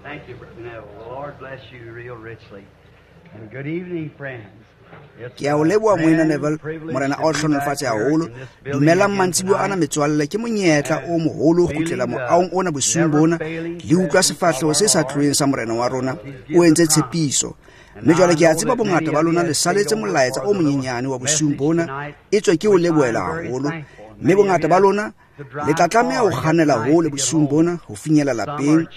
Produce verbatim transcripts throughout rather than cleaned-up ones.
Thank you, Brother Neville. The Lord bless you real richly. And good evening, friends. Ke a o leboha moena Neville, morena a o hlohonolofatse haholo. Dumelang mantsibuya ana metswalle, ke monyetla o moholo ho kgutlela moahong ona bosiung bona le utlwa sefahleho se sa tloheng sa morena wa rona o entse tshepiso. Mme jwale ke a tseba bongata ba lona le saletse molaetsa o monyenyane wa bosiung bona, etswe ke o lebohela haholo. Mme bongata ba lona le tla tlameha ho kganela hole bosiung bona ho finyella lapeng.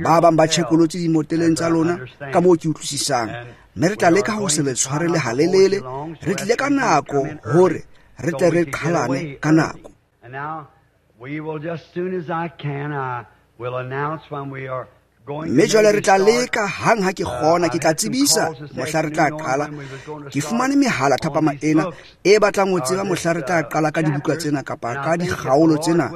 Ba bang ba tjhekolotse dimoteleng tsa lona ka moo ke utlwisisang. Mme re tla leka ho se le tshwarele halelele. Re tlile ka nako hore re tle re qhalane ka nako. And now we will just soon as I can, I will announce when we are going Mme jwale re tla leka hang ha ke kgona, ke tla tsebisa mohla re tla qala. Ke fumane mehala thapama ena e batlang ho tseba mohla re tla qala ka dibuka tsena kapa ka dikgaolo tsena.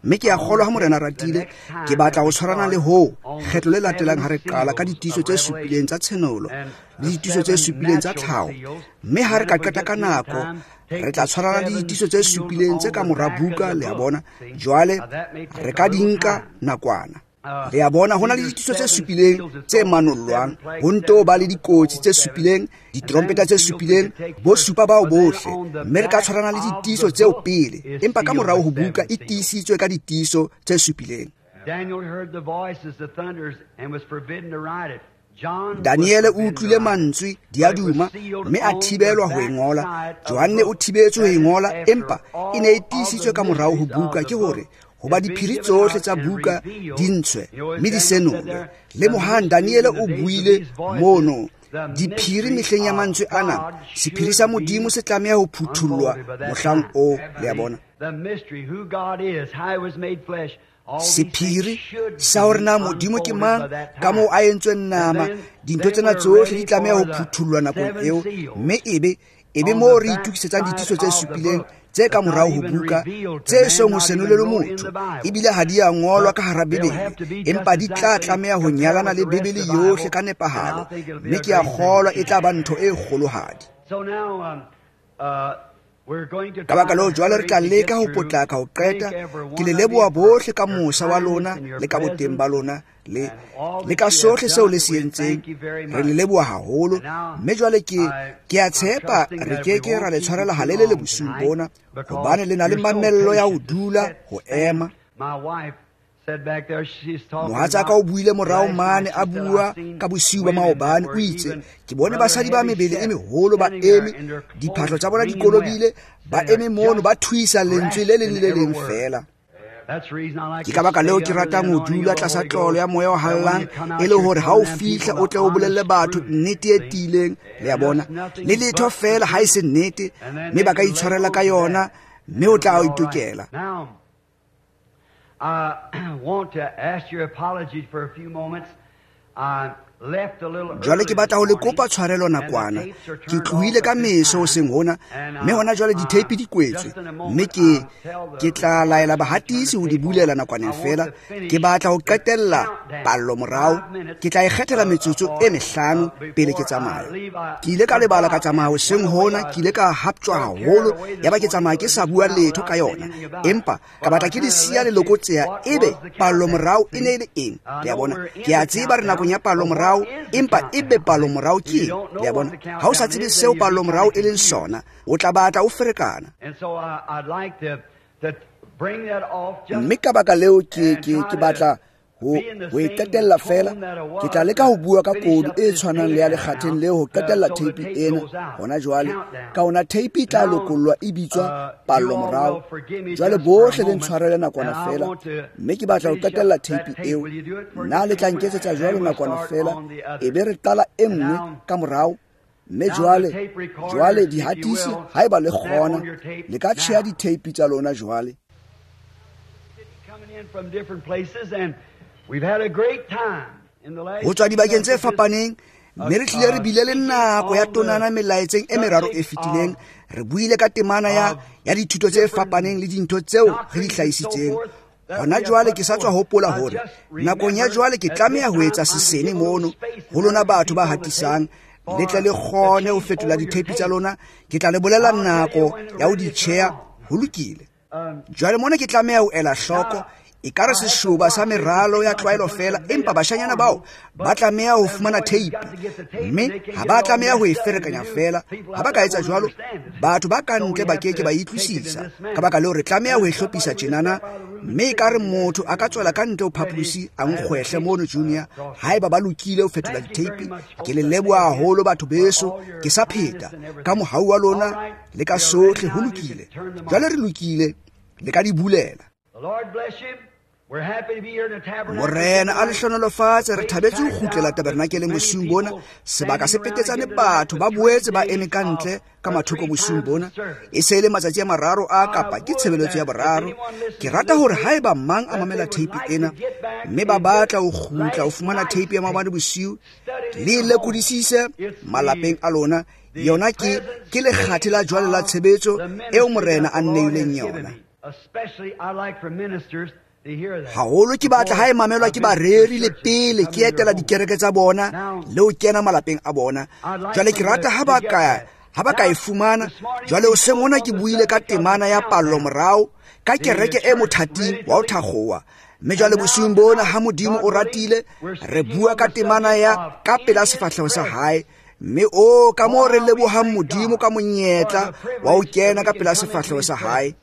Mme ke a kgolwa ha morena ratile, ke batla ho tshwarana le hoo kgetlo le latelang ha re qala ka ditiiso tse supileng tsa tshenolo le ditiiso tse supileng tsa tlhaho. Mme ha re ka qeta ka nako, re tla tshwarana le ditiiso tse supileng tse ka mora buka, le a bona. Jwale re ka di nka nakwana. Le a bona, ho na le ditiiso tse supileng tse manollwang, ho nto ba le dikotsi tse supileng, ditrompeta tse supileng, bo supa bao bohle. Mme re ka tshwarana le ditiiso tseo pele, empa ka morao ho buka e tiisitswe ka ditiiso tse supileng. Daniel heard the voices, the thunders, and was forbidden to write it. John Daniele o utlwile mantswe diaduma mme a thibelwa ho e ngola. Johanne o thibetswe ho e ngola, empa e ne e tiisitswe ka morao ho buka, ke hore hoba diphiri tsohle tsa buka di ntshwe mme di senolwe. Lemohang, Daniele o buile mono diphiri mehleng ya mantswe ana. Sephiri sa Modimo se tlameha ho phuthullwa mohlang oo, le a bona. The mystery, who God is, how he was made flesh. Sephiri sa hore na Modimo ke mang, ka moo a entsweng nama, dintho tsena tsohle di tlameha ho phuthullwa nakong eo. Mme ebe ebe moo re itokisetsang ditiiso tse supileng tse ka morao ho buka, tse song ho senolelwe motho, ebile ha di a ngolwa ka hara Bibele, empa di tla tlameha ho nyalana le Bibele yohle ka nepahalo. Mme ke a kgolwa e tla ba ntho e kgolohadi. So now, um, uh, we're going to Ka baka leo jwale re tla leka ho potlaka ho qeta. Ke le leboha bohle ka mosa wa lona le ka boteng ba lona le le ka sohle seo le se entseng. Re le leboha haholo. Mme jwale ke ke a tshepa re ke ke ra le tshwarela halelele bosiung bona, hobane le na le mamello ya ho dula ho ema. My wife said back there, she's talking Mohatsaka o buile morao mane a bua ka bosiu ba maobane, o itse ke bone basadi ba mebele e meholo ba eme, diphahlo tsa bona di kolobile, ba eme mono ba thuisa lentswe le leng le le leng feela. That's the reason I like Ke ka baka leo ke ratang ho dula tlasa tlolo ya moya o hallang, e le hore ha o fihla o tle o bolelle batho nnete e tiileng, le a bona. Le letho feela ha e se nnete, mme ba ka itshwarela ka yona, mme o tla o itokela. Now, I want to ask your apology for a few moments. I left a little Jwale ke early batla ho le this morning, kopa tshwarelo and the nakwana. tapes are Ke turned tlohile off ka at this meso time. hoseng hona, And mme hona jwale I, ditheipi di kwetswe. just in a Mme moment, ke, I'll tell the ke tla laela reporters to turn bahatisi the ho di tape off. bulela nakwaneng I want feela. to finish Ke batla ho the qetella countdown. pallo morao. Five minutes, Ke tla e kgethela uh, metsotso before, e mehlano uh, pele ke before I tsamaya. leave, I Ke ile ka lebala ka forgot tsamaya hoseng one way hona, I ke ile ka haptjwa got haholo, carried away this yaba ke morning, tsamaya ke so sa just bua went out letho ka without yona. saying anything about it. Empa ka But I batla ke di kinda siya left you lelokotseya, what ebe was the pallo countdown. morao e See? ne e le eng? I Le a know bona? we're in Ke a the tseba re nakong ya countdown, pallo but what morao, is the empa ebe countdown? pallo morao If ke you eng? don't know Le a what bona? the Ha o sa countdown tsebe is, seo then you'll be pallo morao kinda e leng confused. sona, o tla batla o ferekana. And so I, I'd like to, to bring that off just Mme ka baka leo ke, and ke, try ke to batla ho, be in the ho e same qetella fela. tone that I Ke tla was leka ho to bua ka finish kodu up e this tshwanang tape le ya now, lekgatheng leo ho uh, qetella so the tape tape ena goes out. hona jwale. Countdown. Ka hona tape e tla Now, lokollwa e bitswa uh, pallo you all morao. will forgive me Jwale just for a bohle le moment, ntshwarele and nakwana I fela, want to mme ke batla ho finish up qetella that tape tape. eo. Will you do it for Nna just le a tla moment? nketsetsa Then jwalo we'll nakwana start fela, on the e other. be re qala e And nngwe now, ka morao. Mme now the jwale, tape recorders, jwale if you dihatisi, will, haeba le snap kgona, on your tape le ka tjheha now. diteipi tsa lona jwale. Coming in from different places, and we've had a great time in the last Ho tswa few dibakeng tse messages, fapaneng, uh, mme re hlile re uh, bile le speaking nako ya on the tonana melaetseng e meraro e subject fetileng. of Re buile ka temana ya, of ya dithuto tse different fapaneng le dintho tseo re di doctrines and so hlahisitseng. forth that Hona we have jwale put ke sa tswa forth. hopola I hore just nakong ya remembered jwale ke at tlameha this ho etsa time I'm to sesene give a little mono space ho and lona other batho ba people on the tape hatisang, for le tle le the kgone ho change fetola over your diteipi tsa tape. lona. Ke tla le bolella I'll tell you nako when ya ho ready di to turn tjheha. on. Ho lokile. Um, Jwale mona ke tlameha ho ela hloko now, Ekare seshoba sa meralo ya tlwaelo feela, empa bashanyana bao ba tlameha ho fumana tape, mme ha ba tlameha ho e ferekanya feela. Ha ba ka etsa jwalo, batho ba ka ntle ba keke ba utlwisisa. Ka baka leo re tlameha ho e hlophisa tjenana, mme ekare motho a ka tswela ka ntle ho phaposi a nkgwehle mono Junior, haeba ba lokile ho fetola ditape. Ke le leboha haholo batho beso, ke sa pheta ka mohau wa lona le ka sohle ho lokile. Jwale re lokile, le ka di bulela. Morena a le hlohonolofatse. Re thabetse ho kgutlela tabernakeleng bosiung bona. Sebaka se petetsane, batho ba boetse ba eme ka ntle ka mathoko bosiung bona. E se e le matsatsi a mararo a kapa ke tshebeletso ya boraro. Ke rata hore haeba mang a mamela tape ena mme ba batla ho kgutla ho fumana tape ya maobane bosiu, le e lekodisise malapeng a lona. Yona ke ke lekgathe la jwale la tshebetso eo Morena a nneileng yona. Haholo ke batla ha e mamelwa ke bareri le pele ke etela dikereke tsa bona le ho kena malapeng a bona. Jwale ke rata ha ba ka ha ba ka e fumana. Jwale hoseng hona ke buile ka temana ya pallo morao ka kereke e mothating wa ho thakgowa. Mme jwale bosiung bona ha Modimo o ratile, re bua ka temana ya ka pela sefahleho sa hae. Mme o ka moo re lebohang Modimo ka monyetla wa ho kena ka pela sefahleho sa hae.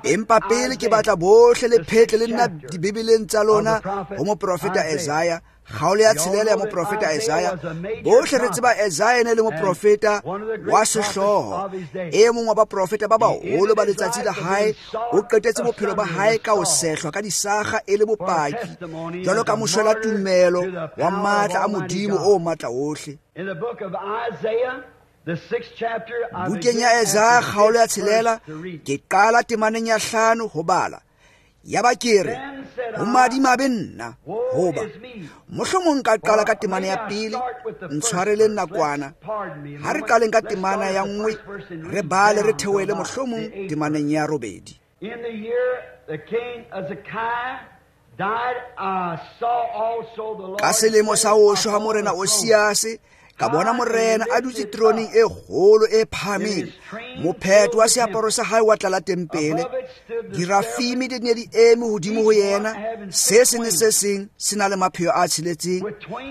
Empa pele ke batla bohle le phetle le nna dibibeleng tsa lona ho moprofeta Isaiah, kgaolo ya tshelela ya moprofeta Isaiah. Bohle re tseba Isaiah ene le moprofeta wa sehlooho, e mong wa baprofeta ba baholo ba letsatsi la hae. O qetetse bophelo ba hae ka ho sehlwa ka disakga e le bopaki jwalo ka moshwela tumelo wa matla a Modimo o matla ohle. Bukeng ya Isaiah kgaolo ya tshelela, ke qala temaneng ya hlano ho bala. Yaba ke re, ho madimabe nna, hoba mohlomong ka qala ka temana ya pele, ntshwareleng nakwana. Ha re qaleng ka temana ya nngwe, re bale re theohele mohlomong temaneng ya robedi. Ka selemo sa ho shwa ha Morena Osiase, ka bona Morena a dutse teroneng e kgolo e phahameng, mophetho wa seaparo sa hae wa tlala tempele. Dirafimi di ne di eme hodimo ho yena, se seng le se seng se na le mapheo a tsheletseng.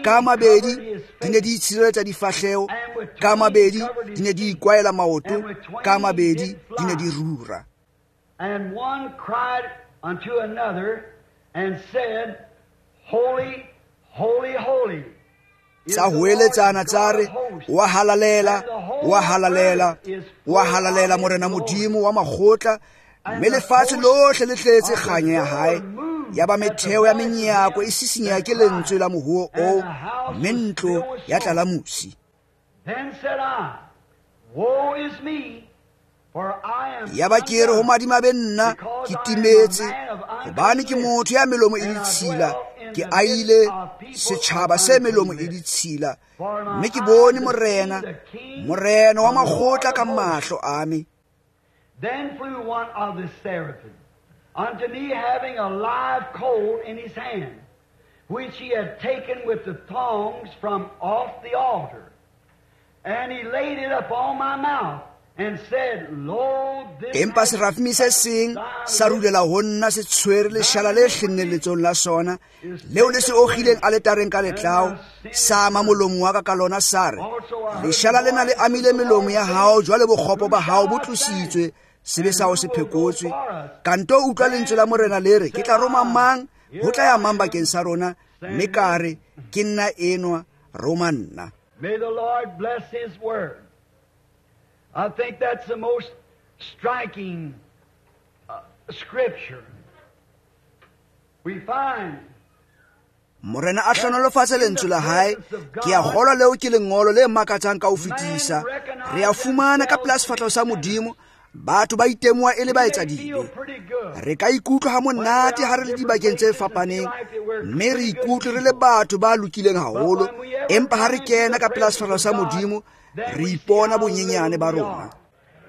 Ka mabedi di ne di itshireletsa difahleho, ka mabedi di ne di ikwaela maoto, ka mabedi di ne di rura. And one cried unto another and said, Holy, holy, holy. Tsa hoeletsana tsa re, wa halalela, wa halalela, wa halalela Morena Modimo wa makgotla, mme lefatshe lohle le tletse kganya ya hae. Yaba metheo ya menyako e sisinyeha ke lentswe la mohuo oo, mme ntlo ya tlala mosi. Yaba ke re ho madimabe nna, ke timetse, hobane ke motho ya melomo e ditshila, ke aile setjhaba se melomo e ditshila, mme ke bone Morena, Morena wa makgotla ka mahlo a me. Then flew one of the seraphim unto me, having a live coal in his hand, which he had taken with the tongs from off the altar. And he laid it upon my mouth and said, Lo, this Empa serafimi se seng sa rulela ho nna se tshwere leshala le hlenneng letsong la sona, leo le se okgileng aletareng ka letlao, sa ama molomo wa ka ka lona, sa re, leshala lena le amile melomo ya hao, jwale bokgopo ba hao bo tlositswe, sebe sa hao se phekotswe. Kanto utlwa lentswe la Morena le re, ke tla roma mang, ho tla ya mang bakeng sa rona? Mme ka re, ke nna enwa, roma nna. May the Lord bless his word. I think that's the most striking uh, scripture. We find Morena a hlohonolofatse lentswe la hae. Ke a kgolwa leo ke lengolo le makatsang ka ho fetisa. Re a fumana ka pela sefahleho sa Modimo, batho ba itemoha e le baetsadibe. Re ka ikutlwa ha monate ha re le dibakeng tse fapaneng, mme re ikutlwe re le batho ba lokileng haholo, empa ha re kena ka pela sefahleho sa Modimo, re ipona bonyenyane ba rona.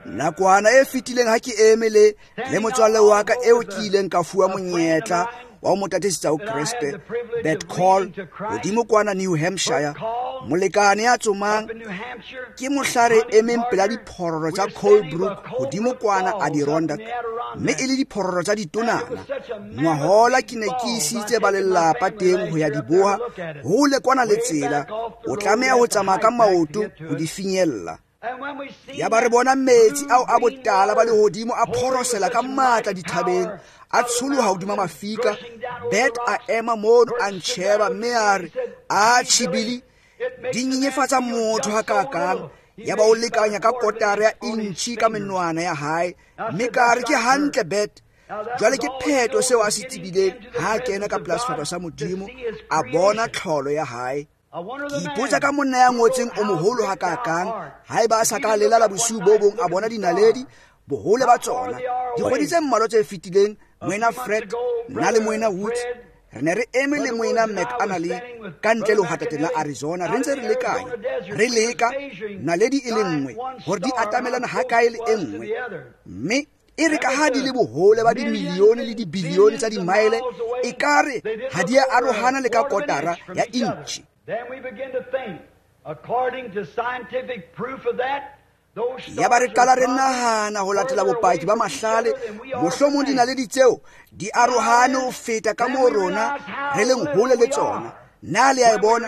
Nakwana e fetileng ha ke eme le le motswalle wa ka eo ke ileng ka fuwa monyetla wa ho mo tataisetsa ho Kreste, Bert Call, hodimo kwana New Hampshire, Molekane ya tsomang ke mohla re emeng pela diphororo tsa Colebrook hodimo kwana Adirondack, mme e le diphororo tsa ditonana. Ngwahola ke ne ke isitse ba lelapa teng ho ya di boha hole kwana le tsela, o tlameha ho tsamaya ka maoto ho di finyella. Ya ba re bona metsi ao a botala ba lehodimo a phorosela ka matla dithabeng, a tsholoha hodima mafika. Bet a ema mono a ntjheba mme a re, a tjhibili di nyenyefatsa motho hakakang. Ya ba o lekanya ka kotara ya intjhi ka menwana ya hae, mme ka re ke hantle Bet. Jwale ke pheto seo a se tsebileng ha a kena ka pela sefahleho sa Modimo, a bona tlholo ya hae. Ke ipotsa ka monna ya ngotseng o moholo hakakang, haeba a sa ka lelala bosiu bo bong a bona dinaledi bohole ba tsona. Dikgwedi tse mmalwa tse fetileng, Moena Fred, nna le Moena Woods re ne re eme le Moena McAnally ka ntle lehwatateng la Arizona, re ntse re lekanya, re leka naledi e le nngwe hore di atamelana hakae le e nngwe, mme e re ka ha di le bohole ba dimilione le dibilione tsa dimaele, ekare ha di a arohana le ka kotara ya intjhi. Then we begin to think, according to scientific proof of that, Ya ba re qala re nahana ho latela bopaki ba mahlale, mohlomong dinaledi tseo di arohane ho feta ka moo rona re leng hole le tsona. Na le a e bona?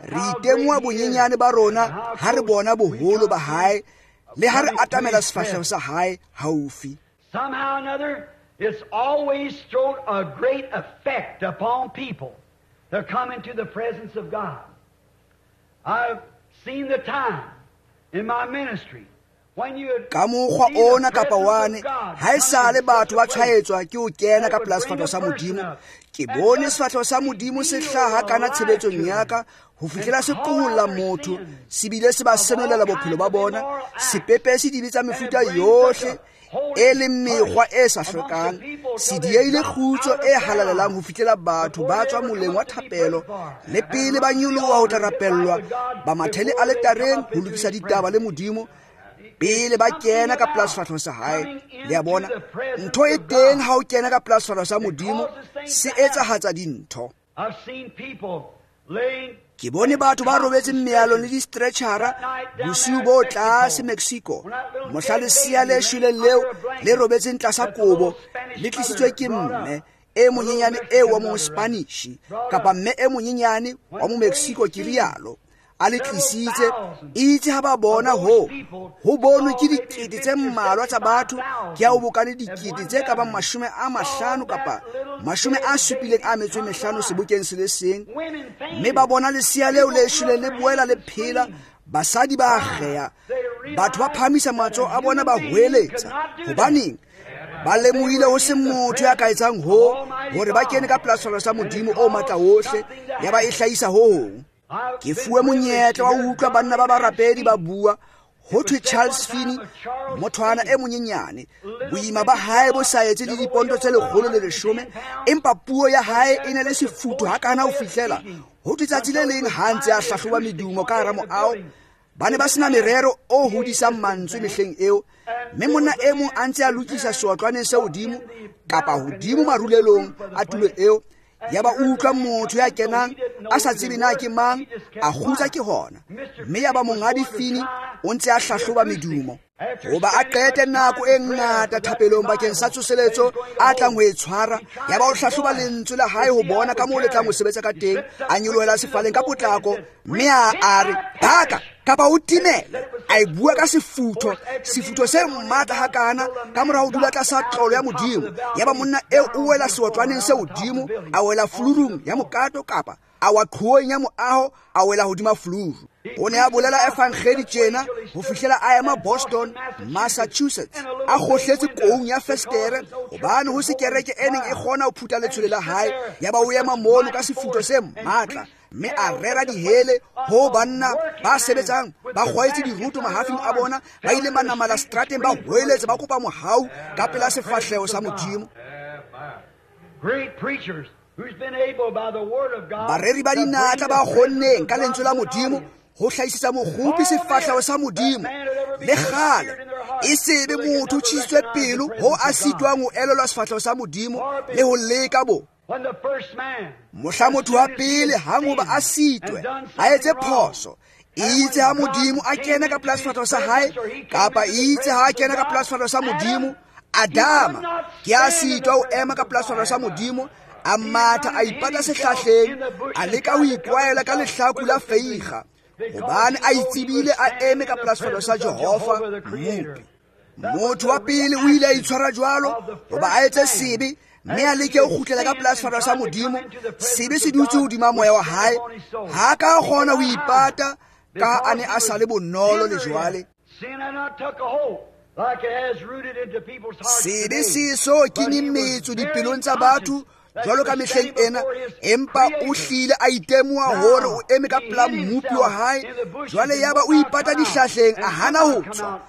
Re itemoha bonyenyane ba rona ha re bona boholo ba hae le ha re atamela sefahleho sa hae haufi. Somehow or another, it's always thrown a great effect upon people to come into the presence of God. I've seen the time in my ministry when you Ka mokgwa ona kapa wane, ha esale batho ba tshwaetswa ke ho kena ka pela sefahleho sa Modimo. Ke bone sefahleho sa Modimo se hlaha kana tshebetsong ya ka ho fihlela se qoholla motho, se bile se ba senolela bophelo ba bona, se pepese dibe tsa mefuta yohle e leng mekgwa e sa hlokang, se dieile kgutso e halalelang ho fihlela batho ba tswa moleng wa thapelo le pele ba nyoloha ho tla rapellwa, ba mathele aletareng ho lokisa ditaba le Modimo pele ba kena ka pela sefahleho sa hae. Le a bona, ntho e teng ha o kena ka pela sefahleho sa Modimo, se etsahatsa dintho. I've seen people laying Ke bone batho ba robetseng mealong le di-stretchera bosiu bo tlase Mexico, mohla lesea le shweleng leo le robetseng tlasa kobo le tlisitswe ke mme e monyenyane eo wa mo-Spanish kapa mme e monyenyane wa mo-Mexico, ke rialo, a le tlisitse. Itse ha ba bona ho ho bonwe ke dikete tse mmalwa tsa batho, ke ha o bokane dikete tse ka bang mashome a mahlano kapa mashome a supileng a metso e mehlano sebokeng se le seng, mme ba bona lesea leo le shweleng le boela le phela. Basadi ba akgeha, batho ba phahamisa matsoho a bona ba hweletsa. Hobaneng? Ba lemohile ho se motho ya ka etsang ho hore ba kene ka pela sefahleho sa Modimo o matla wohle, ya ba e hlahisa ho hong. Ke fuwe monyetla wa ho utlwa banna ba barapedi ba bua. Ho thwe Charles Finney, mothwana e monyenyane, boima ba hae bo sa etse le diponto tse lekgolo le leshome, empa puo ya hae e ne le sefutho hakana ho fihlela ho thwe tsatsi le leng ha ntse a hlahloba medumo ka hara moaho. Ba ne ba sena merero o hodisang mantswe mehleng eo, mme monna e mong a ntse a lokisa seotlwaneng se hodimo kapa hodimo marulelong a tulo eo. Ya ba utlwa motho ya kenang a sa tsebe na ke mang, a kgutsa ke hona, mme ya ba monghadi Finney o ntse a hlahloba medumo. Hoba a qete nako e ngata thapelong bakeng sa tsoseletso a tlang ho e tshwara, ya ba o hlahloba lentswe la hae ho bona ka moo le tlang ho sebetsa ka teng. A nyolohela sefaleng ka potlako mme a a re, baka kapa o timele. A e bua ka sefutho, sefutho se matla hakana ka mora ho dula tlasa tlolo ya Modimo. Ya ba monna eo o wela seotlwaneng se hodimo, a wela fulurung ya mokato kapa a wa qhoweng ya moaho, a wela hodima fuluru. O ne a bolela evangeli tjena ho fihlela a ema Boston, Massachusetts, a kgohletse koung ya festere hobane ho se kereke e neng e kgona ho phutha letshwele la hae. Ya ba o ema mono ka sefutho se matla mme a rera dihele ho banna ba sebetsang ba kgwaetse diruto mahafing a bona, ba ile ba namala strateng ba hweletsa ba kopa mohau ka pela sefahleho sa Modimo. Great preachers who's been able by the word of God Bareri ba dinatla ba kgonneng ka lentswe la Modimo ho hlahisetsa mokgopi sefahleho sa Modimo le kgale, e sebe motho o tjhisitswe pelo ho a sitwang ho elelwa sefahleho sa Modimo le ho leka bo. Mohla motho wa pele hang hoba a sitwe, a etse phoso, itse ha Modimo a kena ka pela sefahleho sa hae, kapa itse ha a kena ka pela sefahleho sa Modimo, Adama ke a sitwa ho ema ka pela sefahleho sa Modimo, a matha a ipata sehlahleng, a leka ho ikwaela ka lehlaku la feiga, hobane a itsebile a eme ka pela sefahleho sa Jehova Mmopi. Motho wa pele o ile a itshwara jwalo hoba a etse sebe, mme a leke ho kgutlela ka pela sefahleho sa Modimo. Sebe se dutse hodima moya wa hae, ha ka kgona ho ipata ka a ne a sa le bonolo le jwale. Sebe se so kenye metso dipelong tsa batho jwalo ka mehleng ena, empa o hlile a itemoha hore o eme ka pela Mmopi wa hae. Jwale yaba o ipata dihlahleng, a hana ho tswa,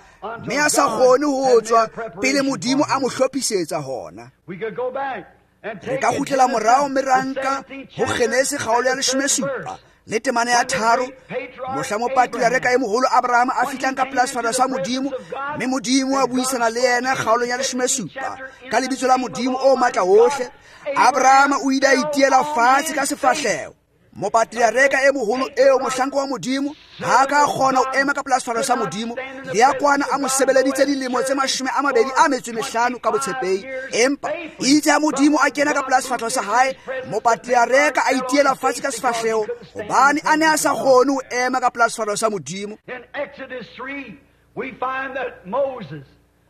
mme a sa kgone ho tswa pele Modimo a mo hlophisetsa hona. Re ka kgutlela morao mme ra nka ho Genese kgaolo ya leshome supa le temana ya tharo, mohla mopatriareka e moholo Abraham a fihlang ka pela sefahleho sa Modimo, mme Modimo a buisana le yena kgaolong ya leshome supa ka lebitso la Modimo o matla wohle. Abraham o ile a itiela fatshe ka sefahleho. Mopatriareka e moholo eo, mohlanka wa Modimo, ha ka kgona ho ema ka pela sefahleho sa Modimo, le ya kwana a mo sebeleditse dilemo tse mashome a mabedi a metso e mehlano ka botshepehi. Empa itse ha Modimo a kena ka pela sefahleho sa hae, mopatriareka a itiela fatshe ka sefahleho, hobane a ne a sa kgone ho ema ka pela sefahleho sa Modimo.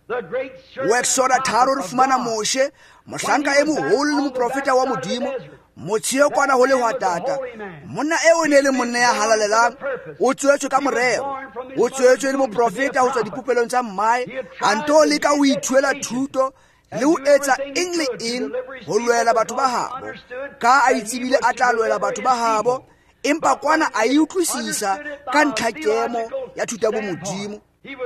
Ho Exoda tharo re fumana Moshe, mohlanka e moholo le moprofeta wa Modimo, motsheo kwana ho lehwatata. Monna eo e ne le monna ya halalelang, o tswetswe ka morero, o tswetswe le moprofeta ho tswa dipopelong tsa mmae, a nto leka ho ithuela thuto le ho etsa eng le eng ho lwela batho ba habo. Ka a itsebile a tla lwela batho ba habo, empa kwana a e utlwisisa ka ntlhakemo ya thuto ya bomodimo.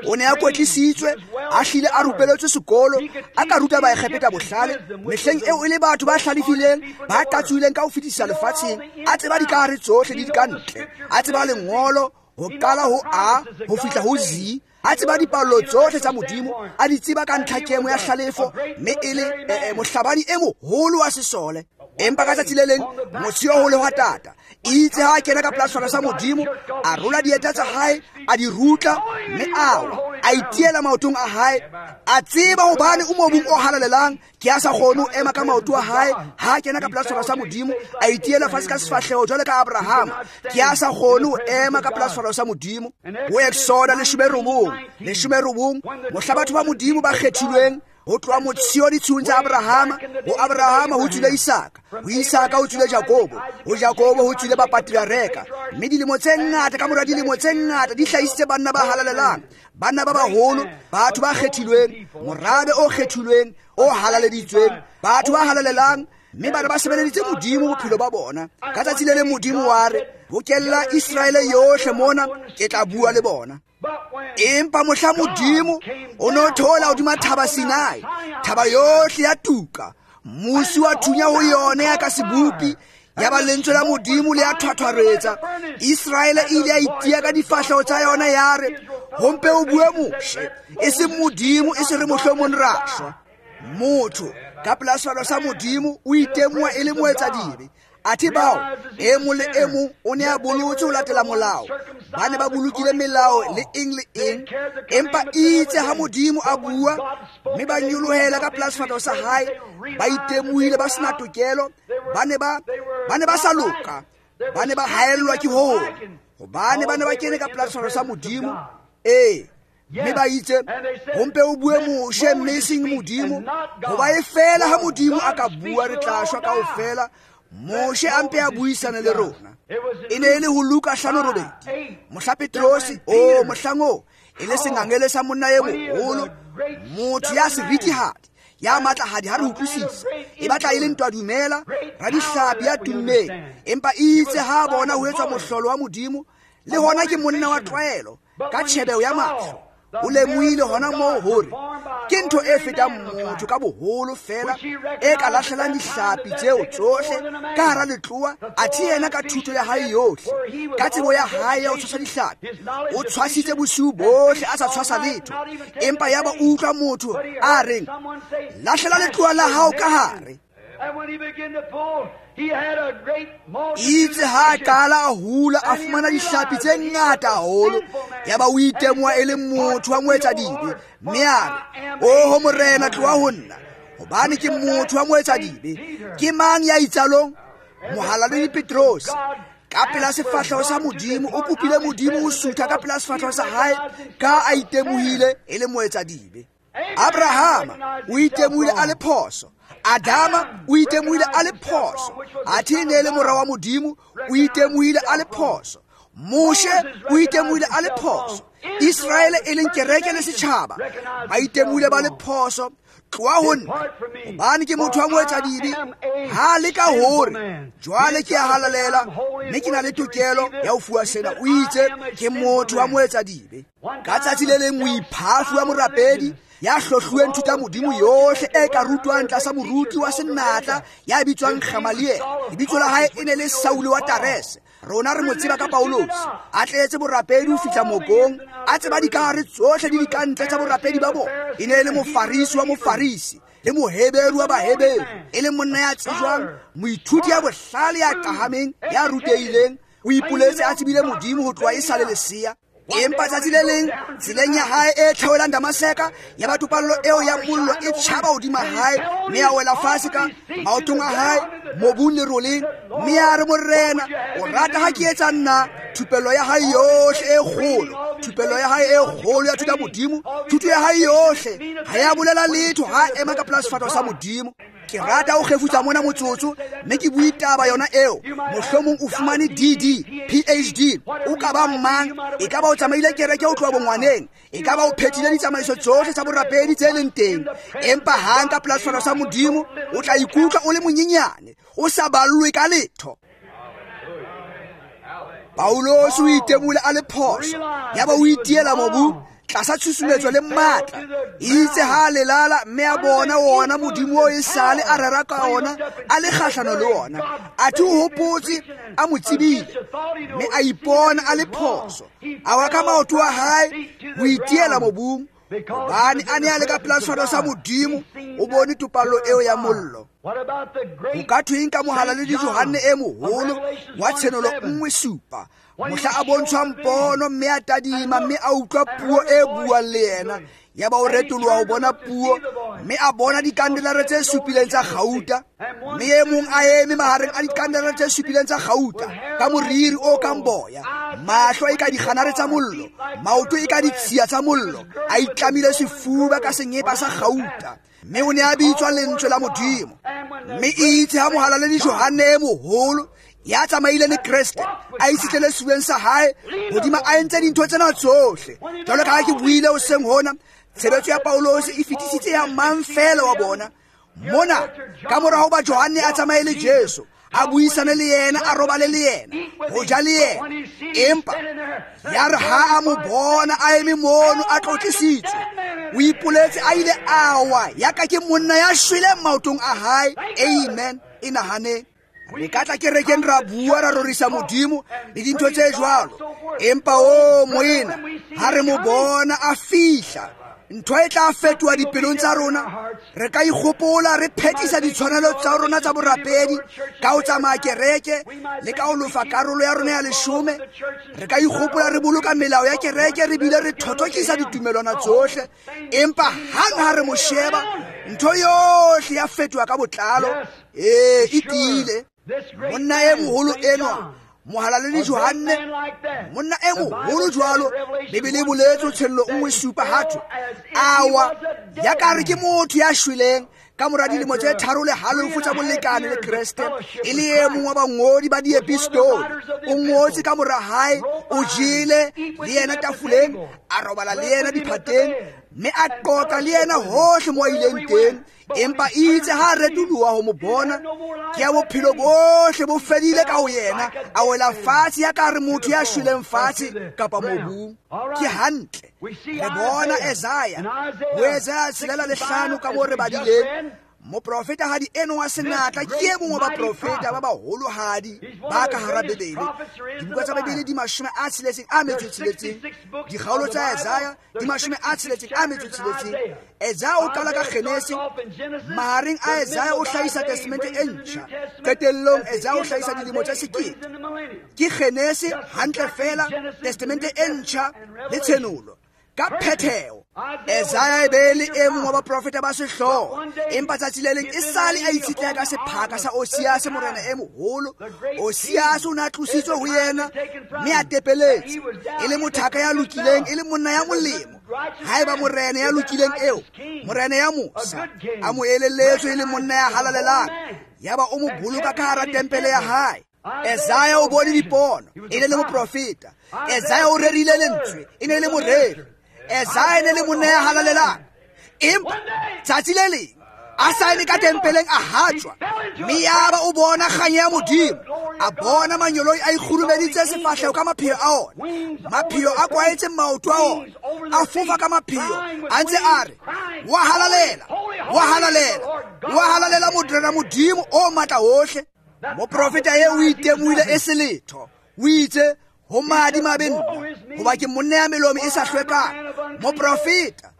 O ne a kwetlisitswe, a hlile a rupeletswe sekolo, a ka ruta Baegepeta bohlale. Mehleng eo e le batho ba hlalefileng, ba qatsohileng ka ho fetisisa lefatsheng, a tseba dikahare tsohle le dikantle, a tseba lengolo ho qala ho A ho fihla ho Z, a tseba dipallo tsohle tsa Modimo, a di tseba ka ntlhakemo ya hlalefo, mme e le eh, mohlabani e moholo wa sesole. Empa ka tsatsi le leng motsheo ho lehwatata, itse ha a kena ka pela sefahleho sa Modimo, a rola dieta tsa hae, a di rutla, mme a wa, a itiela maotong a hae. A tseba hobane o mobung o halalelang, ke a sa kgone ho ema ka maoto a hae. Ha a kena ka pela sefahleho sa Modimo, a itiela fatshe ka sefahleho jwalo ka Abrahama, ke a sa kgone ho ema ka pela sefahleho sa Modimo. Ho Exoda leshome robong, leshome robong, mohla batho ba Modimo ba kgethilweng ho tloha motsheo ditshiung tsa Abrahama, ho Abrahama ho tswile Isaka, ho Isaka ho tswile Jakobo, ho Jakobo ho tswile bapatriareka. Mme dilemo tse ngata ka mora dilemo tse ngata di hlahisitse banna ba halalelang, banna ba baholo, batho ba kgethilweng, morabe o kgethilweng, o halaleditsweng, batho ba halalelang, mme bana ba sebeleditse Modimo bophelo ba bona. Ka tsatsi le leng Modimo wa re, bokella Iseraele yohle mona, ke tla bua le bona. Empa mohla Modimo o no thola hodima thaba Sinai, thaba yohle ya tuka, mosi wa thunya ho yona ya ka sebopi, ya ba lentswe la Modimo le ya thwathwaretsa. Iseraele e ile ya itia ka difahleho tsa yona, ya re, ho mpe o bue Moshe, e seng Modimo, e se re mohlomong ra shwa. Motho ka pela sefahleho sa Modimo o itemoha e le moetsadibe. Athe bao e mong le e mong o ne a bolotse ho latela molao, ba ne ba bolokile melao le eng le eng, empa itse ha Modimo a bua, mme ba nyolohela ka pela sefahleho sa hae, ba itemohile ba sena tokelo, ba ne ba ba ne ba sa loka, ba ne ba haellwa ke hoo, hobane ba ne ba kene ka pela sefahleho sa Modimo. Ee, mme ba itse, ho mpe o bue Moshe mme e seng Modimo, hoba e fela ha Modimo a ka bua re tla shwa kaofela. Moshe a mpe a buisane le rona. E ne e le ho Luka hlano robedi, mohla Petrosi, o mohlang oo e le sengangele sa monna e moholo, motho ya seritihadi, ya matlahadi ha re utlwisisa, e batla e le ntwa dumela, radihlapi ya tummeng. Empa itse ha bona ho etswa mohlolo wa Modimo, le hona ke monna wa tlwaelo ka tjhebeho ya mahlo, o lemohile hona moo hore ke ntho e fetang motho ka boholo fela e ka lahlelang dihlapi tseo tsohle ka hara letloa. Athe yena ka thuto ya hae yohle, ka tsebo ya hae ya ho tshwasa dihlapi, o tshwasitse bosiu bohle a sa tshwasa letho. Empa yaba o utlwa motho a reng, lahlela letloa la hao ka hare. Itse ha a qala a hula a fumana dihlapi tse ngata haholo, yaba o itemoha e le motho wa moetsadibe, mme a re, oho Morena, tloha ho nna, hobane ke motho wa moetsadibe. Ke mang ya itsalong? Mohalaledi Petrose. Ka pela sefahleho sa Modimo, o kopile Modimo ho sutha ka pela sefahleho sa hae, ka a itemohile e le moetsadibe. Abrahama o itemohile a le phoso. Adama o itemohile a le phoso. Athe e ne e le mora wa Modimo, o itemohile a le phoso. Moshe o itemohile a le phoso. Israele e leng kereke le setjhaba ba itemohile ba le phoso. Tloha ho nna, hobane ke motho wa moetsadibe. Ha le ka hore jwale ke a halalela, mme ke na le tokelo ya ho fuwa sena. O itse ke motho wa moetsadibe. Ka tsatsi le leng moiphafi wa morapedi ya hlohluweng thuta Modimo yohle e ka rutwang tlasa moruti wa senatla ya bitswang Gamaliel. Lebitso la hae e ne le Saule wa Tarese. Rona re mo tseba ka Paulosi. A tletse borapedi ho fihla mokong, a tseba dikahare tsohle le dikantle tsa borapedi ba bona. E ne e le mofarisi wa mofarisi le moheberu wa baheberu, e le monna ya tsejwang, moithuti ya bohlale ya qahameng, ya rutehileng. O ipoletse a tsebile Modimo ho tloha e sa le lesea. Empa tsatsi le leng tseleng ya hae e theohelang Damaseka, ya ba topallo eo ya mollo e tjhaba hodima hae, mme a wela fatshe ka maotong a hae mobung leroleng, mme a re, Morena, o rata ha ke etsa nna? Thupello ya hae yohle e kgolo, thupello ya hae e kgolo ya thuta Modimo, thuto ya hae yohle ha ya bolela letho ha a ema ka pela sefahleho sa Modimo. Ke rata ho kgefutsa mona motsotso, mme ke bue taba yona eo. Mohlomong o fumane D D, P H D, o ka ba mang, e ka ba o tsamaile kereke ho tloha bongwaneng, e ka ba o phethile ditsamaiso tsohle tsa borapedi tse leng teng, empa hang ka pela sefahleho sa Modimo o tla ikutlwa o le monyenyane, o sa ballwe ka letho. Paulosi o itemohile a le phoso, yaba o itiela mobung tlasa tshusumetso le matla. Itse ha a lelala, mme a bona wona Modimo o e sale a rera ka ona, a le kgahlano le ona. Athe o hopotse a mo tsebile, mme a ipona a le phoso. A wa ka maoto a hae ho itiela mobung, hobane a ne a le ka pela sefahleho sa Modimo, o bone topallo eo ya mollo. Ho ka thweng ka mohalaledi Johanne e moholo wa Tshenolo nngwe supa, mohla a bontshwang pono, mme a tadima, mme a utlwa puo e buang le yena. Yaba o retoloha ho bona puo, mme a bona dikandelare tse supileng tsa kgauta, mme e mong a eme mahareng a dikandelare tse supileng tsa kgauta, ka moriri o kang boya, mahlo e ka dikganare tsa mollo, maoto e ka ditshiya tsa mollo, a itlamile sefuba ka senyepa sa kgauta, mme o ne a bitswa lentswe la Modimo. Mme itse ha mohalaledi Johanne e moholo ya tsamaile le Kreste a itshitlele sefubeng sa hae hodima a entse dintho tsena tsohle, jwalo ka ha ke buile hoseng hona, tshebetso ya Paulosi e fetisitse ya mang feela wa bona. Mona ka mora hoba Johanne a tsamaye le Jesu, a buisane le yena, a robale le yena, ho ja le yena, empa ya re ha a mo bona a eme mono a tlotlisitswe, o ipoletse a ile a wa ya ka ke monna ya shweleng maotong a hae. Amen. E nahaneng. Re ka tla kerekeng ra bua ra rorisa Modimo le dintho tse jwalo, empa o moena, ha re mo bona a fihla, ntho e tla fetoha dipelong tsa rona. Re ka ikgopola re phethisa ditshwanelo tsa rona tsa borapedi ka ho tsamaya kereke le ka ho lofa karolo ya rona ya leshome. Re ka ikgopola re boloka melao ya kereke, re bile re thothokisa ditumelwana tsohle, empa hang ha re mo sheba, ntho yohle ya fetoha ka botlalo. Ee, e tiile. Monna e moholo enwa, mohalaledi Johanne, monna e moholo jwalo, Bibele e boletse Tshenolo nngwe supa ha thwe, a wa ya ka re ke motho ya shweleng ka mora dilemo tse tharo le halofo tsa bolekane le Kreste, e le e mong wa bangodi ba diepistole. O ngotse ka mora hae, o jele le yena tafoleng, a robala le yena diphateng, mme a qoqa le yena hohle mo a ileng teng. Empa itse ha retoloha ho mo bona, ke ya bophelo bohle bo fedile ka ho yena, a wela fatshe ya ka re motho ya shweleng fatshe kapa mobung. Ke hantle. Re bona Isaiah, ho Isaiah tshelela le hlano ka moo re badileng, Moprofetahadi eno wa senatla ke e mongwe wa baprofeta ba baholohadi ba ka hara Bibele. Dibuka tsa Bibele di mashome a tsheletseng a metso e tsheletseng. Dikgaolo tsa Isaiah di mashome a tsheletseng a metso e tsheletseng. Isaiah o qala ka Genese, mahareng a Isaiah o hlahisa Testamente e ntjha. Qetellong Isaiah o hlahisa dilemo tsa sekete. Ke Genese hantle fela, Testamente e ntjha le Tshenolo ka phetheo. Isaiah e be le e mong wa baprofeta ba sehlooho, empa tsatsi le leng e sale a itshetleha ka sephaka sa Osiase morena e moholo. Osiase o ne a tlositswe ho yena mme a tepeletse, e le mothaka ya lokileng, e le monna ya molemo. Haeba morena ya lokileng eo, morena ya mosa, a mo elelletswe e le monna ya halalelang, yaba o mo boloka ka hara tempele ya hae. Isaiah o bone dipono, e ne le moprofeta. Isaiah o rerile lentswe, e ne le moreri. Isaiah e ne le monna ya halalelang. Empa tsatsi le leng a sa eme ka tempeleng a hatjwa, mme yaba o bona kganya ya Modimo. A bona manyoloi a ikgurumeditse sefahleho ka mapheo a ona, mapheo a kwaetse maoto a ona, a fofa ka mapheo a ntse a re, wa halalela, wa halalela, wa halalela Morena Modimo o matla ohle. Moprofeta eo o itemohile e se letho. O itse, ho madimabe nna, hoba ke monna ya melomo e sa hlwekang. Moprofeta,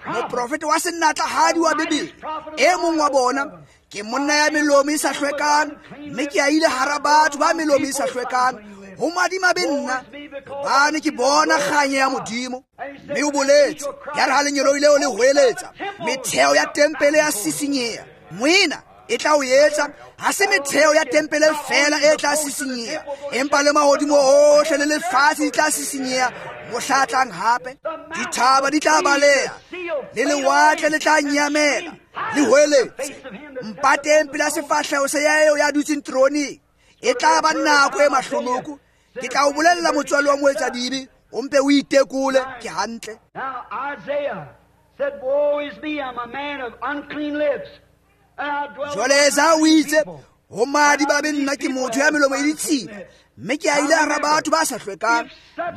moprofeta wa senatlahadi wa Bibele, e mong wa bona, ke monna ya melomo e sa hlwekang, mme ke a ile hara batho ba melomo e sa hlwekang. Ho madimabe nna, hobane ke bona kganya ya Modimo. Mme o boletse, ya re ha lengeloi leo le hoeletsa, metheo ya tempele ya sisinyeha. Moena, e tla o etsa, ha se metheo ya tempele fela e tla sisinyeha, empa le mahodimo ohle le lefatshe di tla sisinyeha mohla tlang hape. Dithaba di tla baleha, le lewatle le tla nyamela, le hoeletse. Mpateng pela sefahleho sa ya eo ya dutseng teroneng. E tla ba nako e mahlonoko. Ke tla o bolella motswalo wa moetsadibe, o mpe o itekole ke hantle. Now Isaiah said, woe is me, I'm a man of unclean lips. Jwale Isaiah o itse, ho madimabe nna, ke motho ya melomo e ditshila, mme ke a ile hara batho ba sa hlwekang,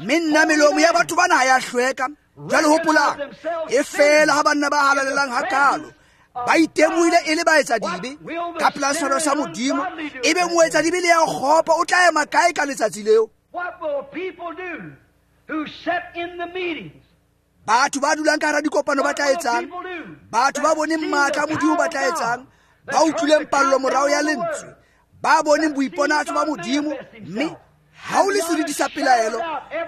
mme nna melomo ya batho bana ha ya hlweka. Jwale hopolang, e fela ha banna ba halalelang hakalo ba itemohile e le baetsadibe ka pela sefahleho sa Modimo, ebe moetsadibe le ya kgopo o tla ema kae ka letsatsi leo? Batho ba dulang ka hara dikopano ba tla etsang? Batho ba boneng matla a Modimo ba tla etsang? Ba utlwileng pallo morao ya lentswe, ba boneng boiponatso ba Modimo, mme ha o le seriti sa pelaelo,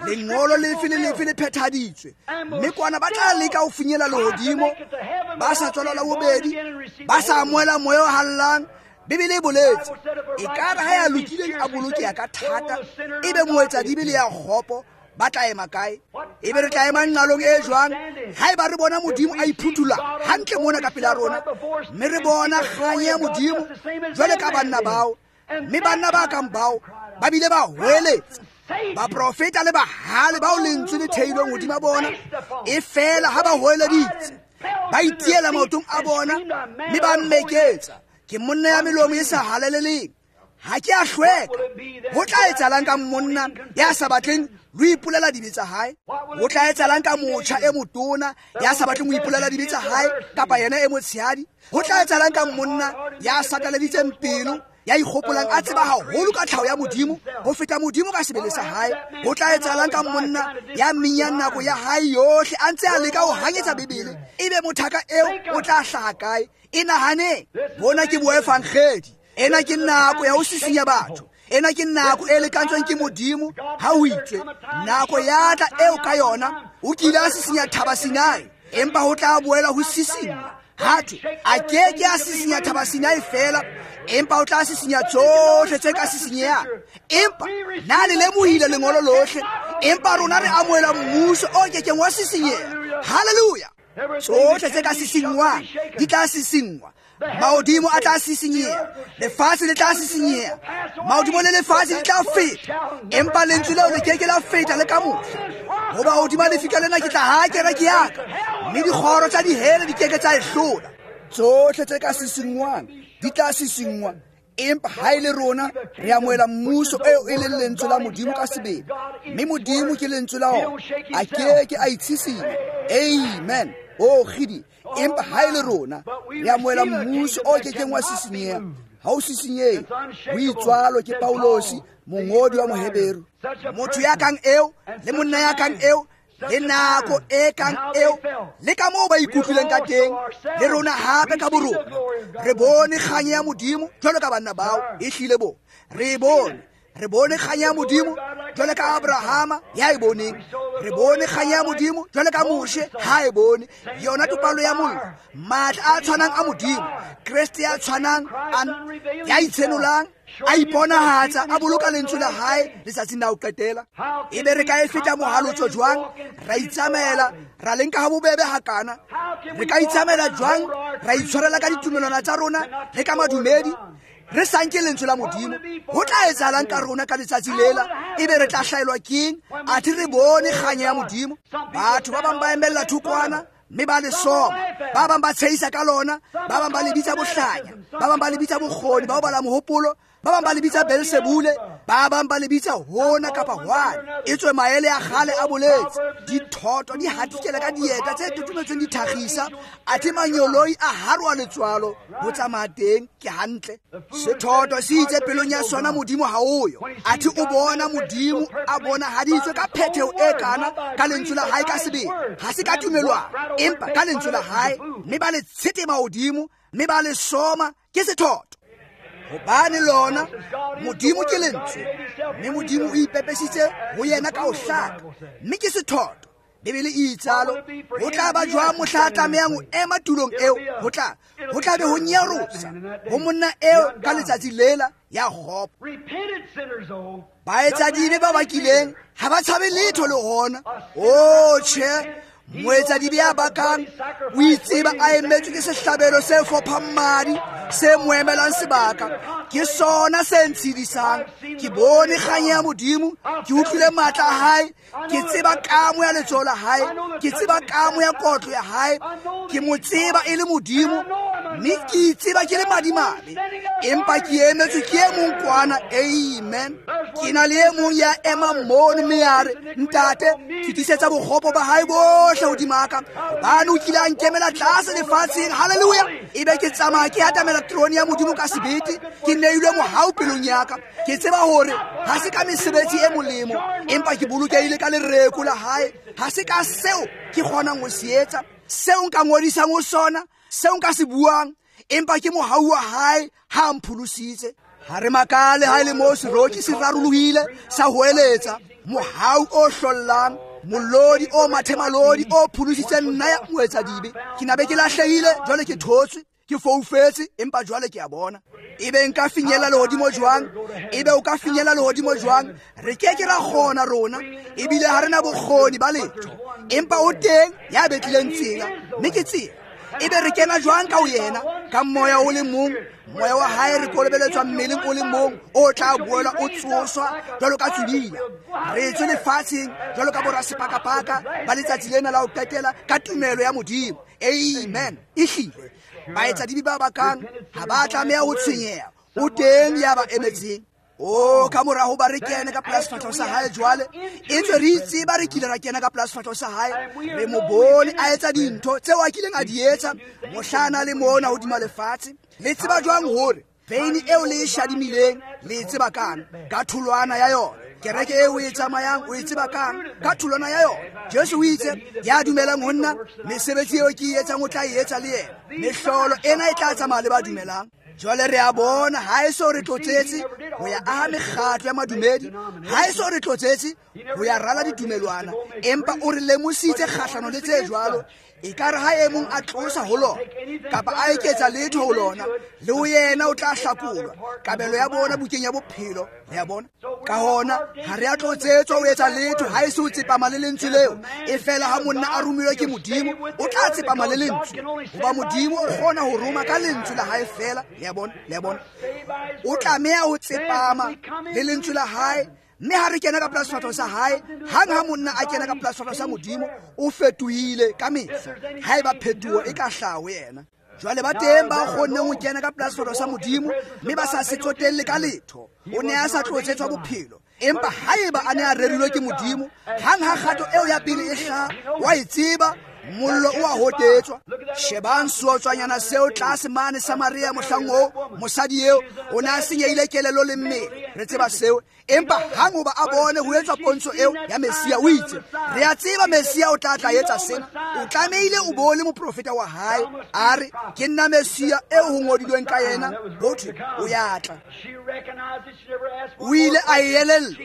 lengolo lefe le lefe le phethaditswe, mme kwana ba tla leka ho finyella lehodimo, ba sa tswalwa la bobedi, ba sa amohela moya o hallang. Bibele e boletse, ekare ha ya lokileng a bolokeha ka thata, ebe moetsadibe le ya kgopo ba tla ema kae? Ebe re tla ema nqalong e jwang haeba re bona Modimo a iphuthulla hantle mona ka pela rona, mme re bona kganya ya Modimo jwale ka banna bao? Mme banna ba kang bao ba bile ba hoeletsa, baprofeta le bahale bao lentswe le theilweng hodima bona, e fela ha ba hoeleditse, ba itiela maotong a bona, mme ba mmeketsa, ke monna ya melomo e sa halaleleng, ha ke a hlweka. Ho tla etsahalang ka monna ya sa batleng ho ipolela dibe tsa hae? Ho tla etsahalang ka motjha e motona ya sa batleng ho ipolela dibe tsa hae, kapa yena e motshehadi? Ho tla etsahalang ka monna ya sataleditseng pelo, ya ikgopolang a tseba haholo ka tlhaho ya Modimo ho feta Modimo ka sebele sa hae? Ho tla etsahalang ka monna ya minyang nako ya hae yohle a ntse a leka ho hanyetsa Bibele? Ebe mothaka eo o tla hlaha kae? E nahaneng, bona ke boevangedi. Ena ke nako ya ho sisinya batho. Ena ke nako e lekantsweng ke Modimo ha o itswe, nako ya tla eo ka yona o kile a sisinya thaba Sinai, empa ho tla boela ho sisinya. Hathwe a ke ke a sisinya thaba Sinai fela, empa o tla sisinya tsohle tse ka sisinyehang. Empa na le lemohile lengolo lohle, empa rona re amohela mmuso o kekeng wa sisinyeha. Hallelujah! Tsohle tse ka sisinngwang di tla sisinngwa. Mahodimo a tla sisinyeha, lefatshe le tla sisinyeha, mahodimo le lefatshe di tla feta, empa lentswe leo le keke la feta le ka mohla. Hoba hodima lefika lena ke tla ha kereke ya ka, mme dikgoro tsa dihele di keke tsa e hlola. Tsohle tse ka sisinngwang di tla sisinngwa, empa ha e le rona re amohela mmuso eo e leng lentswe la Modimo ka sebele, mme Modimo ke lentswe la ona, a keke a itshisinya. Amen. O kgidi, empa ha e le rona re amohela mmuso o kekeng wa sisinyeha. Ha o sisinyehe. Ho itswalo ke Paulosi, mongodi wa Moheberu. Motho ya kang eo le monna ya kang eo le nako e kang eo le ka moo ba ikutlwileng ka teng, le rona hape ka borona re bone kganya ya Modimo jwalo ka banna bao. E hlile bo re bone re bone kganya ya Modimo jwalo ka Abrahama ya e boneng, re bone kganya ya Modimo jwalo ka Moshe ha e bone. Yona topallo ya mollo, matla a tshwanang a Modimo, Kreste ya tshwanang ya itshenolang, a iponahatsa, a boloka lentswe la hae letsatsing la ho qetela. Ebe re ka e feta mohalotso jwang? Ra itsamaela, ra le nka ha bobebe hakana. Re ka itsamaela jwang? Ra itshwarela ka ditumelwana tsa rona le ka madumedi, re sa nke lentswe la Modimo. Ho tla etsahalang ka rona ka letsatsi lela? Ebe re tla hlaelwa keng? Athe re bone kganya ya Modimo. Batho ba bang ba emella thokwana mme ba le soma, ba bang ba tshehisa ka lona, ba bang ba le bitsa bohlanya, ba bang ba le bitsa bokgoni ba ho bala mohopolo, ba bang ba le bitsa Beelsebule, ba bang ba le bitsa hona kapa hwane. Etswe maele a kgale a boletse, dithoto di hatikela ka dieta tse totometsweng dithakgisa, athe manyoloi a haroa letswalo ho tsamaya teng. Ke hantle. Sethoto se itse pelong ya sona Modimo ha o yo, athe o bona Modimo a bonahaditswe ka phetheho e kana ka lentswe la hae ka sebele. Ha se ka tumelwana, empa ka lentswe la hae, mme ba le tshetema hodimo, mme ba le soma. Ke sethoto. Hobane lona Modimo ke lentswe, mme Modimo o ipepesitse ho yena ka ho hlaka, mme ke sethoto. Bibele e itsalo. Ho tla ba jwang mohla a tlamehang ho ema tulong eo? Ho tla ho tla be ho nyarosa ho monna eo ka letsatsi lela ya kgopo. Baetsadibe ba bakileng ha ba tshabe letho le hona. O tjhe, moetsadibe ya bakang o itseba a emetswe ke sehlabelo se fophang madi se mo emelang sebaka. Ke sona se ntshedisang. Ke bone kganya ya Modimo, ke utlwile matla a hae, ke tseba kamo ya letsoho la hae, ke tseba kamo ya kotlo ya hae, ke mo tseba e le Modimo, mme ke itseba ke le madimabe, empa ke emetswe ke e mong kwana. Amen. Ke na le e mong ya emang mono mme ya re, Ntate, fetisetsa bokgopo ba hae bohle hodima ka, hobane o kile a nkemela tlase lefatsheng. Haleluya. Ebe ke tsamaya ke atamela terone ya Modimo ka sebete, ke neilwe mohau pelong ya ka. Ke tseba hore ha se ka mesebetsi e molemo, empa ke bolokehile ka lereko la hae. Ha se ka seo ke kgonang ho se etsa, seo nka ngodisang ho sona, seo nka se buang, empa ke mohau wa hae ha a mpholositse. Ha re makale ha e le moo seroki se rarolohile sa hoeletsa mohau o hlollang, molodi o mathemalodi o pholositseng nna ya moetsadibe. Ke na be ke lahlehile, jwale ke thotswe, ke foufetse, empa jwale ke a bona. Ebe nka finyella lehodimo jwang? Ebe o ka finyella lehodimo jwang? Re ke ke ra kgona rona, ebile ha re na bokgoni ba letho, empa o teng ya betlileng tsela, mme ke tsela. Ebe re kena jwang ka ho yena? Ka moya o le mong, moya wa hae re kolobeletswa mmeleng o le mong o tla boela o tsoswa jwalo ka tswibila. Re tswe lefatsheng jwalo ka borasepakapaka ba letsatsi lena la ho qetela ka tumelo ya Modimo. Amen. Ehlile baetsadibe ba bakang ha ba tlameha ho tshwenyeha, o teng ya ba emetseng. O ka mora ho ba re kene ka pela sefahleho sa hae jwale, etswe re itseba re kile ra kena ka pela sefahleho sa hae, re mo bone a etsa dintho tseo a kileng a di etsa mohla le mona hodima lefatshe. Le tseba jwang hore veine eo le e shadimileng le e tseba kang? Ka tholwana ya yona. Kereke eo o e tsamayang o e tseba kang? Ka tholwana ya yona. Jesu o itse, ya dumelang ho nna, mesebetsi eo ke e etsang o tla e etsa le yena. Mehlolo ena e tla tsamaya le ba dumelang. Jwale re a bona ha e so re tlotsetse ho ya aha mekgatlo ya madumedi, ha e so re tlotsetse ho ya rala ditumelwana, empa o re lemositse kgahlano le tse jwalo. Ekare ha e mong a tlosa ho lona kapa a eketsa letho ho lona, le ho yena o tla hlakolwa kabelo ya bona bukeng ya bophelo. Le a bona? Ka hona ha re a tlotsetswa ho etsa letho ha e se ho tsepama le lentswe leo. E fela ha monna a romilwe ke Modimo, o tla tsepama le lentswe, hoba Modimo o kgona ho roma ka lentswe la hae fela. Le a bona? Le a bona? O tlameha ho tsepama le lentswe la hae. Mme ha re kena ka pela sefahleho sa hae, hang ha monna a kena ka pela sefahleho sa Modimo, o fetohile ka mehla. Haeba phetoho e ka hlaha ho yena. Jwale ba teng ba kgonneng ho kena ka pela sefahleho sa Modimo mme ba sa se tsotelle ka letho. O ne a sa tlotsetswa bophelo, empa haeba a ne a rerilwe ke Modimo, hang ha kgato eo ya pele e hlaha, wa e tseba, Mollo o a hotetswa. Shebang seotswanyana seo tlase mane Samaria mohlang oo, mosadi eo o ne a senyehile kelello le mmele. Re tseba seo. Empa hang hoba a bone ho etswa pontsho eo ya Messia, o itse, re a tseba Messia o tla tla etsa sena. O tlamehile o bone moprofeta wa hae a re, ke nna Messia eo ho ngodilweng ka yena, ho thwe o ya tla. O ile a e elellwa,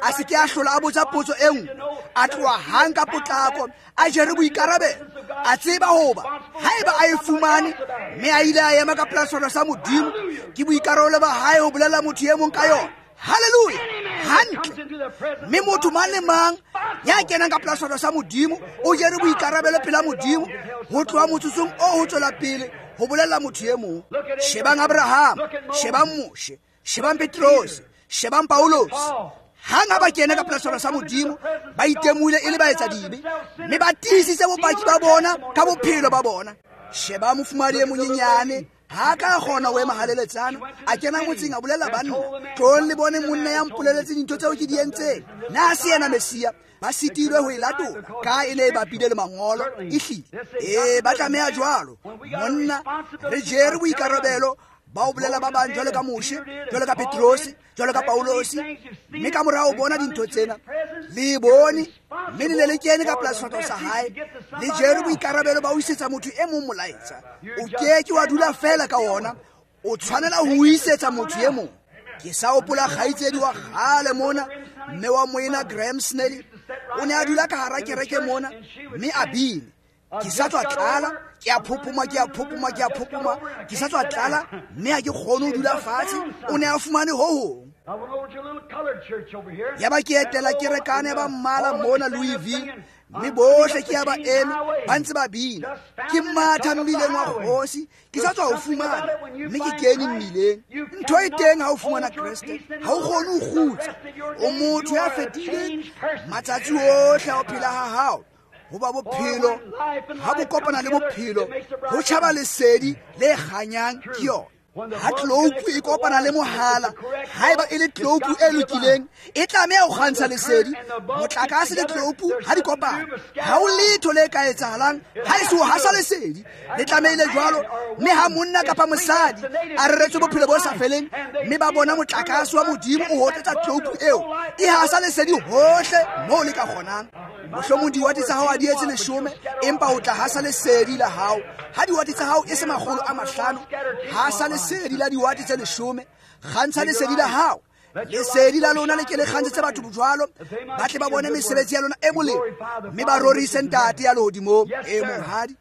a se ke a hlola a botsa potso e nngwe, a tloha hang ka potlako, a jere boikarabelo, a tseba hoba haeba a e fumane mme a ile a ema ka pela sefahleho sa Modimo, ke boikarabelo ba hae ho bolella motho e mong ka yona. Hallelujah. Hantle. Mme motho mang le mang ya kenang ka pela sefahleho sa Modimo o jere boikarabelo pela Modimo ho tloha motsotsong oo ho tswela pele ho bolella motho e mong. Shebang Abraham, shebang Moshe, shebang Petrose, shebang Paulos. Hang ha ba kena ka pela sefahleho sa Modimo, ba itemohile e le baetsadibe, mme ba tiisitse bopaki ba bona ka bophelo ba bona. Sheba mofumahadi e monyenyane, ha ka kgona ho ema haleletsana, a kena motseng a bolella banna, tlohong le bone monna ya mpoleletseng dintho tseo ke di entseng. Na se yena Messia? Ba sitilwe ho e latola ka e ne e bapile le mangolo. Ehlile, ee, ba tlameha jwalo. Monna, re jere boikarabelo ba o bolela ba bang jwalo ka Moshe, jwalo ka Petrose, jwalo ka Paulosi. Mme ka mora ho bona dintho tsena, le bone, mme le ne le kene ka pela sefahleho sa hae, le jere boikarabelo ba ho isetsa motho e mong molaetsa. O ke ke wa dula feela ka ona, o tshwanela ho isetsa motho e mong. Ke sa hopola kgaitsedi wa kgale mona, mme wa moena Graham Snelly, o ne a dula ka hara kereke mona, mme a bine. Ke sa tswa tlala, ke a phophoma, ke a phophoma, ke a phophoma, ke sa tswa tlala, mme ha ke kgone ho dula fatshe. O ne a fumane ho hong. Yaba ke etela kerekane ya ba mmala mona Louisville, mme bohle ke ya ba eme ba ntse ba bina. Ke matha mmileng wa kgosi, ke sa tswa ho fumana, mme ke kene mmileng. Ntho e teng ha o fumana Kreste, ha o kgone ho kgutsa. O motho ya fetileng matsatsi ohle a ho phela ha hao. Hoba bophelo ha bo kopana le bophelo, ho tjhaba lesedi le kganyang ke yona. Ha tloupu e kopana le mohala, haeba e le tloupu e lokileng, e tlameha ho kgantsha lesedi. Motlakase le tloupu ha di kopana, ha ho letho le ka etsahalang ha e se ho hasa lesedi. Le tlamehile jwalo. Mme ha monna kapa mosadi a reretswe bophelo bo sa feleng, mme ba bona motlakase wa Modimo o hotetsa tloupu eo, e hasa lesedi hohle moo le ka kgonang. Mohlomong diwate tsa hao ha di etse leshome, empa o tla hasa lesedi la hao. Ha diwate tsa hao e se makgolo a mahlano, hasa lesedi la diwate tse leshome, kgantsha lesedi la hao. Lesedi la lona le ke le kgantshetse batho jwalo, ba tle ba bone mesebetsi ya lona e molemo, mme ba rorise Ntate ya lehodimong. E monghadi,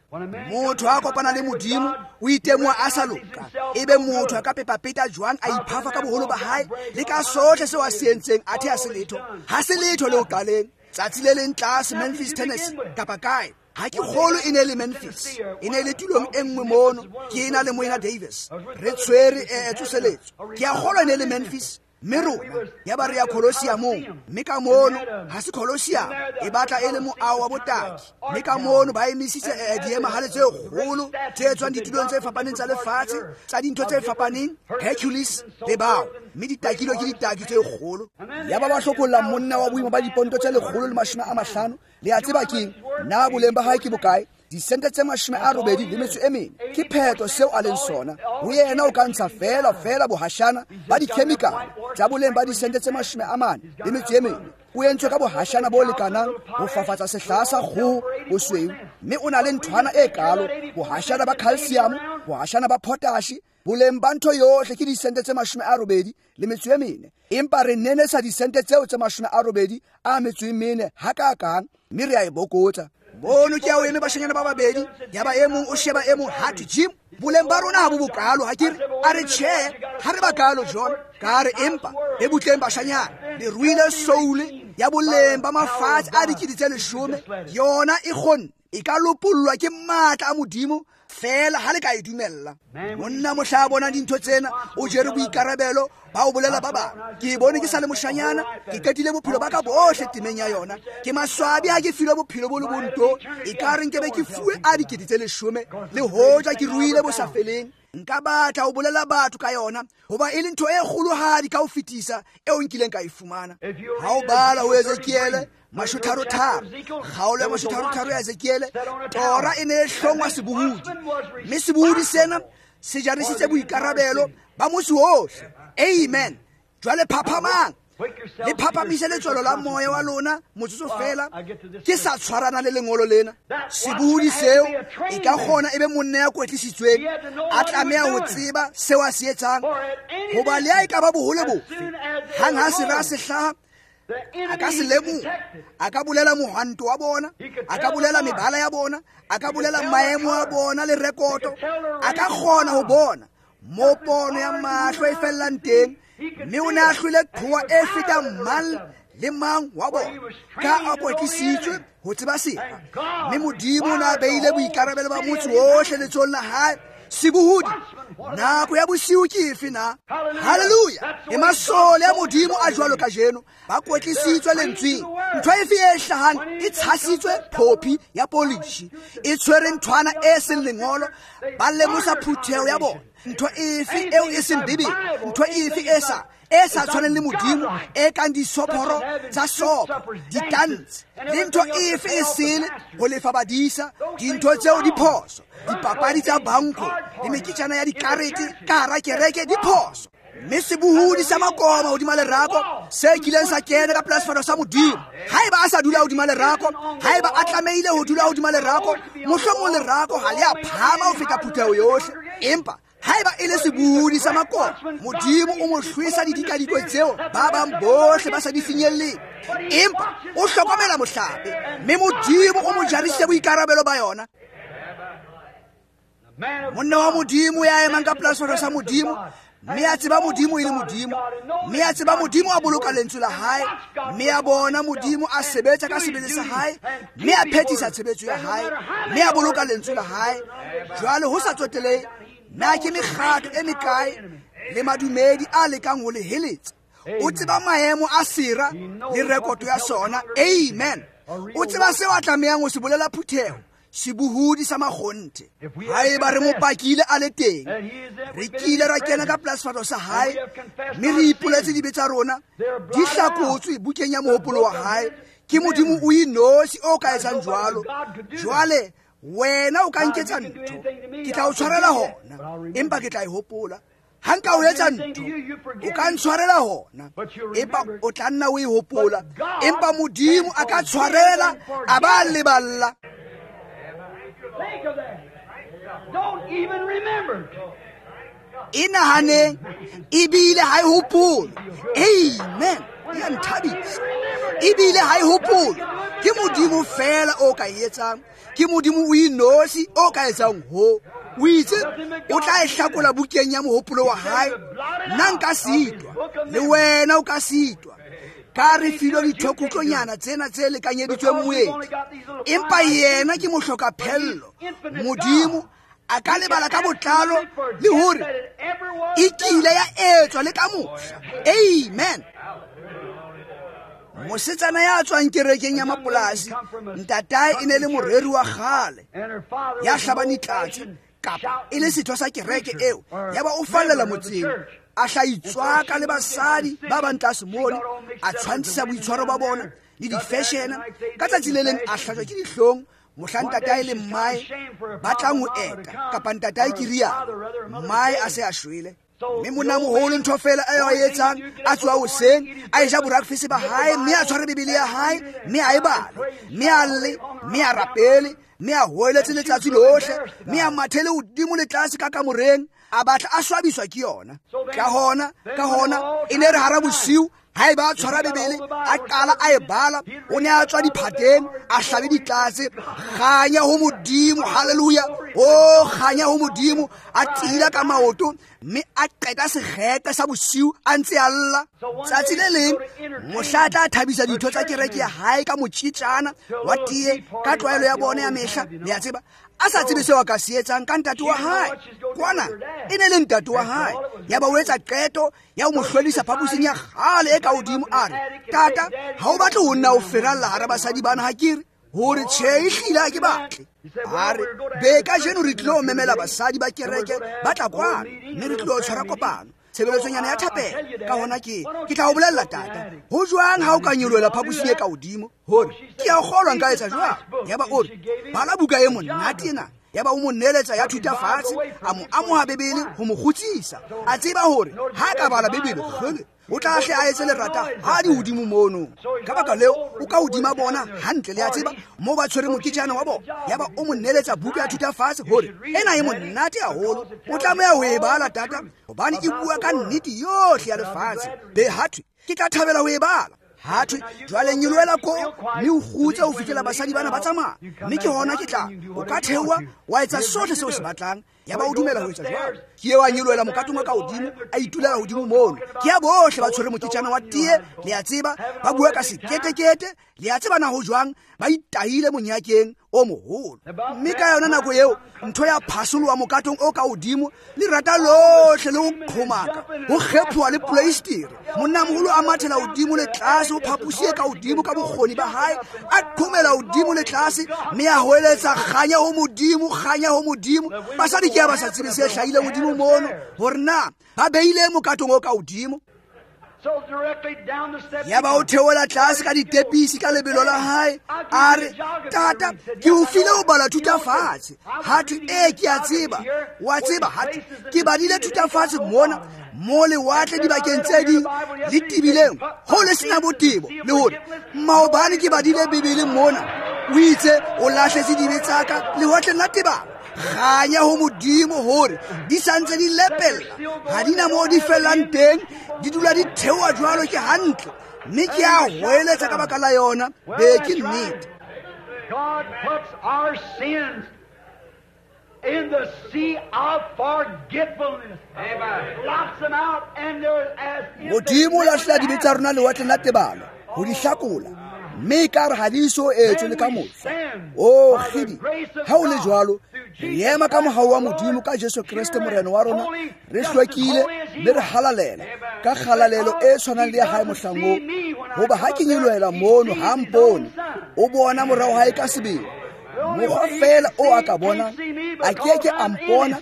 motho ha kopana le Modimo o itemoha a sa loka. Ebe motho a ka pepapeta jwang a iphafa ka boholo ba hae le ka sohle seo a se entseng, athe ha se letho, ha se letho le ho qaleng. Tsatsi le leng tlase Memphis, Tennessee, kapa kae, ha ke kgolo e ne le Memphis, e ne le tulong e nngwe mono, ke ena le moena Davis, re tshwere e tsoseletso. Ke a kgolwa e ne le Memphis, mme rona ya ba re ya Colosseumong, mme ka mono ha se Colosseum, e batla e le moaho wa botaki. Mme ka mono ba emisitse diemahale tse kgolo tse tswang ditulong tse fapaneng tsa lefatshe, tsa dintho tse fapaneng, Hercules le bao, mme di takilwe ke ditaki tse kgolo. Ya ba ba hlokolla monna wa boima ba diponto tse lekgolo le mashome a mahlano. Le a tseba keng na boleng ba hae ke bokae? Disente tse mashome a robedi le metso e mene. Ke phetho seo a leng sona. Ho yena o ka ntsha feela feela bohashana ba dikhemikhale tsa boleng ba disente tse mashome a mane le metso e mene. O entswe ka bohashana bo lekanang ho fafatsa sehlaha sa kgoho bosweu, mme o na le nthwana e kalo, bohashana ba calcium, bohashana ba potash. Boleng ba ntho yohle ke disente tse mashome a robedi le metso e mene. Empa re nenesa disente tseo tse mashome a robedi a metso e mene hakakang, mme re a e bokotsa. Mono ke a o eme bashanyana ba babedi, ya ba e mong o sheba e mong, ha thwe Jim, boleng ba rona ha bo bokalo, ha ke re? A re tjhe, ha re bakalo John. Ka re empa e butleng bashanyana, le ruile soule ya boleng ba mafatshe a dikete tse leshome, yona e kgonne, e ka lopollwa ke matla a Modimo feela ha le ka e dumella. Monna mohla a bona dintho tsena, o jere boikarabelo ba ho bolela ba bang. Ke bone ke sa le moshanyana, ke qetile bophelo ba ka bohle temeng ya yona. Ke maswabi ha ke filwe bophelo bo le bonto, ekare nke be ke fuwe a dikete tse leshome, le hoja ke ruile bo sa feleng. Nka batla ho bolela batho ka yona, hoba e le ntho e kgolohadi ka ho fetisa eo nkileng ka e fumana. Ha o bala ho Ezekiele Mashotharo-tharo, kgaolo ya mashotharo-tharo ya Ezekiele, tora e ne e hlongwa sebohodi, mme sebohodi sena se jarisitse boikarabelo ba motse ohle. Amen. Jwale phaphamang, le phaphamise letswalo la moya wa lona motsotso fela, ke sa tshwarana le lengolo lena. Sebohodi seo e ka kgona e be monna ya kwetlisitsweng, a tlameha ho tseba seo a se etsang, hoba le ha e ka ba bohole bofe, hang ha sera se hlaha, a ka se lemoha, a ka bolela mohwanto wa bona, a ka bolela mebala ya bona, a ka bolela maemo a bona le rekoto, a ka kgona ho bona mo pono ya mahlo e fellang teng, mme o ne a hlwele qhowa e fetang mang le mang wa bona, ka a kwetlisitswe ho tseba sera. Mme Modimo o ne a beile boikarabelo ba motse ohle letsohong la hae. Sebohodi, nako ya bosiu ke efe na? Hallelujah. E masole a Modimo a jwalo kajeno, ba kwetlisitswe lentsweng. Ntho efe e hlahang e tshasitswe phophi ya polishi, e tshwere nthwana e seng lengolo, ba lemosa phutheho ya bona. Ntho efe eo e seng Bibele, ntho efe e sa e sa tshwaneng le Modimo, e kang disophoro tsa sopo, ditantshe, le ntho efe e sele ho lefa badisa, dintho tseo di phoso, dipapadi tsa banko le meketjana ya dikarete ka hara kereke di phoso. Mme sebohodi sa makoma hodima lerako se kileng sa kena ka pela sefahleho sa Modimo, haeba a sa dula hodima lerako, haeba a tlamehile ho dula hodima lerako, mohlomong lerako ha le a phahama ho feta phutheho yohle, empa haeba e le sebohodi sa makoma, Modimo o mo hlwesa didikadikwe tseo ba bang bohle ba sa di finyelleng, empa o hlokomela mohlape, mme Modimo o mo jarisitse boikarabelo ba yona. Monna wa Modimo ya emang ka pela sefahleho sa Modimo, mme a tseba Modimo e le Modimo, mme a tseba Modimo a boloka lentswe la hae, mme a bona Modimo a sebetsa ka sebele sa hae, mme a phethisa tshebetso ya hae, mme a boloka lentswe la hae. Jwale ho sa tsotelehe na ke mekgatlo e mekae le madumedi a lekang ho le heletsa, o tseba maemo a sera le rekoto ya sona. Amen. O tseba seo a tlamehang ho se bolela phutheho, sebohodi sa makgonthe. Haeba re mo pakile a le teng, re kile ra kena ka pela sefahleho sa hae, mme re ipoletse dibe tsa rona, di hlakotswe bukeng ya mohopolo wa hae. Ke Modimo o inotshi o ka etsang jwalo. Jwale wena o ka nketsa ntho, ke tla o tshwarela hona, empa ke tla e hopola. Ha nka o etsa ntho, o ka ntshwarela hona, empa o tla nna o e hopola. Empa Modimo a ka tshwarela, a ba leballa. Think of that. Don't even remember. E nahaneng, ebile ha e hopole. Amen. Ya nthabisa. Ebile ha e hopole. Ke Modimo fela o ka e etsang. Ke Modimo o inosi o ka etsang ho. O itse o tla e hlakola bukeng ya mohopolo wa hae. Nna nka sitwa, le wena o ka sitwa. Ka re filwe dithokutlonyana tsena tse lekanyeditsweng moedi, empa yena ke mohlokaphello. Modimo a ka lebala ka botlalo le hore e kile ya etswa le ka mohla. Amen. Mosetsana ya tswang kerekeng ya mapolasi, ntatae e ne le moreri wa kgale ya hlabang ditlatse, kapa e le setho sa kereke eo, yaba o fallela motseng, a hla itswaka le basadi ba bang tlase mole, a tshwantshisa boitshwaro ba bona le di-fashion. Ka tsatsi le leng a hlajwa ke dihlong mohla ntatae le mmae ba tlang ho eta, kapa ntatae ke rialo, mmae a se a shwele. Mme monnamoholo ntho fela eo a e etsang, a tsoha hoseng, a eja borakfese ba hae, mme a tshware Bibele ya hae, mme a e bale, mme a lle, mme a rapele, mme a hoeletse letsatsi lohle, mme a mathele hodimo le tlase ka kamoreng, a batla a swabiswa ke yona. Ka hona, ka hona, e ne re hara bosiu, haeba a tshwara Bibele, a qala a e bala, o ne a tswa diphateng, a hlabe ditlatse, kganya ho Modimo, hallelujah, o kganya ho Modimo, a tila ka maoto, mme a qeta sekgete sa bosiu a ntse a lla. Tsatsi le leng mohla a tla thabisa ditho tsa kereke ya hae ka motjitjana wa tee ka tlwaelo ya bona ya mehla, le a tseba, a sa tsebe seo a ka se etsang ka ntate wa hae. Kwana e ne le ntate wa hae, yaba o etsa qeto ya ho mo hlwelisa phaposing ya kgale e ka hodimo, a re, tata, ha o batle ho nna o feralla hara basadi bana, ha ke re? Hore tjhe, ehlile ha ke batle. A re, be kajeno re tlilo memela basadi ba kereke ba tla kwano, mme re tlilo tshwara kopano. Tshebeletsonyana ya thapelo. Ka hona ke ke tla o bolella tata, ho jwang ha o ka nyolohela phaposing e ka hodimo? Hore ke a kgolwa nka etsa jwang? Yaba o re, bala buka e monate ena. Yaba o mo neletsa ya thuta fatshe, a mo amoha Bibele ho mo kgutsisa. A tseba hore ha ka bala Bibele, kgele, o tla hle a etse lerata ha di hodimo mono. Ka baka leo o ka hodima bona hantle, le a tseba mo ba tshwere moketjana wa bona. Yaba o mo neletsa buka ya thuta fatshe hore ena e monate haholo, o tlameha ho e bala tata, hobane e bua ka nnete yohle ya lefatshe. Be hathwe ke tla thabela ho e bala. Hathwe jwale nyolohela ko mme o kgutse ho fihlela basadi bana ba tsamaya, mme ke hona ke tla o ka theoha wa etsa sohle seo se batlang. Yaba o dumela ho etsa jwalo. Ke eo a nyolohela mokatong wa ka hodimo, a itulela hodimo mono. Ke ya bohle ba tshwere moketjana wa tee, le a tseba, ba bua ka seketekete, le a tseba na ho jwang, ba itahile monyakeng o moholo. Mme ka yona nako eo ntho ya phasoloha mokatong o ka hodimo, lerata lohle le ho qhomaka, ho kgephoha le poleistere. Monnamoholo a mathela hodimo le tlase ho phaposi e ka hodimo ka bokgoni ba hae, a qhomela hodimo le tlase, mme a hoeletsa kganya ho Modimo, kganya ho Modimo. Basadi ke ba sa tsebe se hlahileng hodimo mono, hore na ba beile mokatong o ka hodimo. Yaba o theola tlase ka ditepisi ka lebelo la hae, a re, tata, ke o file ho bala thuta fatshe. Hathwe, ee, ke a tseba, wa tseba, hathwe ke badile thuta fatshe mona mo lewatle dibakeng tse ding le tebileng ho le sena botebo, le hore maobane ke badile Bibele mona, o itse o lahletse dibe tsa ka lewatleng la tebalo. Kganya ho Modimo hore di santse di lepella, ha di na moo di fellang teng, di dula di theoha jwalo, ke hantle. Mme ke a hoeletsa ka baka la yona. Be ke nnete. God puts our sins in the sea of forgetfulness. Blocks them out, and they're as Modimo o lahlela dibe tsa rona lewatleng la tebalo ho di hlakola, mme ekare ha di so etswe le ka mohla. O kgidi, ha o le jwalo, re ema ka mohau wa Modimo ka Jesu Kreste Morena wa rona, re hlwekile mme re halalela ka kgalalelo e tshwanang le ya hae mohlang oo. Hoba ha ke nyolohela mono, ha mpone, o bona mora wa hae ka sebele. Mokgwa feela o a ka bonang, a keke a mpona,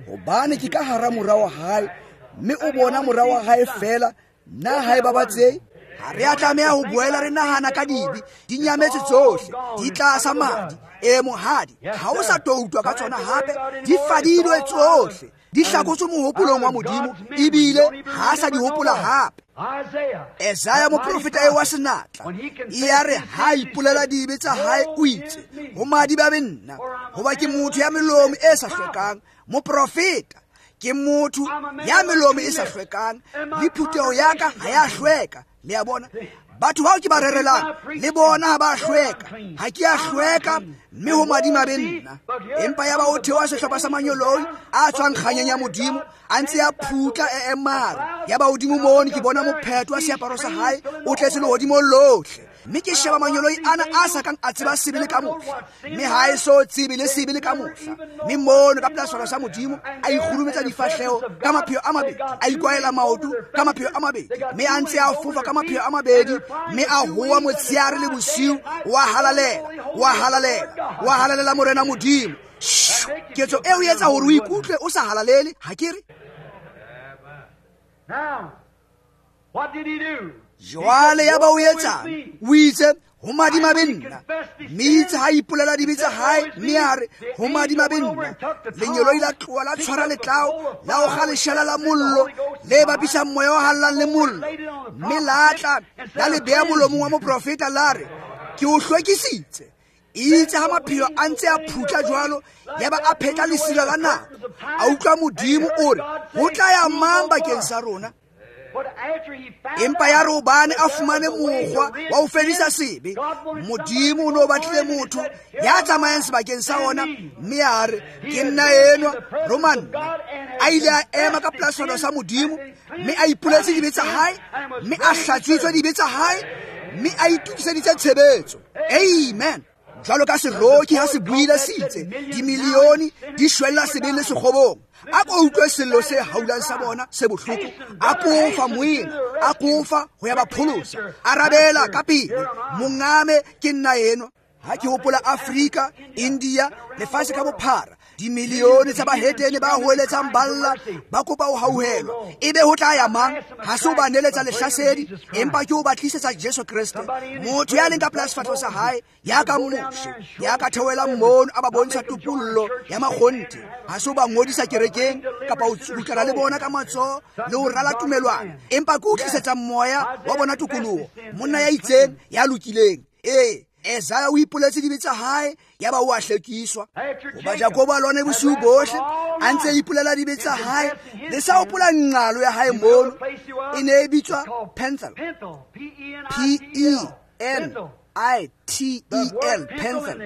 hobane ke ka hara mora wa hae, mme o bona mora wa hae feela. Nna ha e babatsehe. Ha re a tlameha ho boela re nahana ka dibe, di nyametse tsohle, di tlasa madi. E mohadi, ha o sa tlo utlwa ka tsona hape, di fadilwe tsohle, di hlakotswe mohopolong wa Modimo, ebile ha a sa di hopola hape. Esaya moprofeta eo wa senatla, e ya re ha ipolela dibe tsa hae, o itse, ho madi ba be nna, hoba ke motho ya melomo e sa hlwekang. Moprofeta ke motho ya melomo e sa hlwekang, le phutheho ya ka ha ya hlweka. Le a bona, batho bao ke ba rerelang le bona ha ba hlweka, ha ke a hlweka, mme ho madimabe nna. Empa yaba o theoha sehlopha sa manyoloi a tswang kganyeng ya Modimo, a ntse a phutla e emare. Yaba hodimo mono ke bona mophetho wa seaparo sa hae o tletse lehodimo lohle, mme ke sheba manyoloi ana a sa kang a tseba sebe le ka mohla, mme ha e so tsebe le sebe le ka mohla. Mme mono ka pela sefahlehelo sa Modimo a ikgurumetsa difahleho ka mapheo a mabedi, a ikwaela maoto ka mapheo a mabedi, mme a ntse a fofa ka mapheo a mabedi, mme a howa motsheare le bosiu, wa halalela, wa halalela, wa halalela Morena Modimo. Ketso eo e etsa hore o ikutlwe o sa halalele, ha ke re? Jwale ya ba o etsang? O itse, ho madimabe nna. Mme itse ha ipolela dibe tsa hae, mme a re, ho madimabe nna. Lengeloi la tloha la tshwara letlao, la okga leshala la mollo le bapisang moya o hallang le mollo, mme la tla la le beha molomong wa moprofeta, la re, ke o hlwekisitse. Itse ha mapheo a ntse a phutla jwalo, yaba a phetla lesira la nako, a utlwa Modimo o re, ho tla ya mang bakeng sa rona? Empa ya re hobane a fumane mokgwa wa ho fedisa sebe, Modimo o no batlile motho ya tsamayang sebakeng sa ona, mme a re, ke nna enwa, roma nna. A ile a ema ka pela sefahlehelo sa Modimo, mme a ipoletse dibe tsa hae, mme a hlatswitswe dibe tsa hae, mme a itokiseditse tshebetso. Amen. Jwalo ka seroki ha se buile se itse, dimilione di shwella sebeng le sekgobong. A ko utlwe sello se haulang sa bona se bohloko, a kofa moena, a kofa ho ya ba pholosa. Arabela ka pele, mongame ke nna enwa. Ha ke hopola Afrika, India, lefatshe ka bophara, Dimilione tsa bahetene ba hoeletsang balla ba kopa ho hauhelwa. Ebe ho tla ya mang? Ha se o ba neletsa lehlasedi, empa ke o ba tlisetsa Jesu Kreste. Motho ya leng ka pela sefahleho sa hae, ya ka Moshe, ya ka theohelang mono a ba bontsha topollo ya makgonthe. Ha se o ba ngodisa kerekeng kapa o tsubutlana le bona ka matsoho le ho rala tumelwana, empa ke o tlisetsa moya wa bona tokoloho. Monna ya itseng ya lokileng. Ee, Esaya o ipoletse dibe tsa hae, yaba o a hlwekiswa. Hoba Jakobo a lwane bosiu bohle, a ntse a ipolela dibe tsa hae, le sa hopola nqalo ya hae mono, e ne e bitswa Penthel. P E N I T E L, Penthel.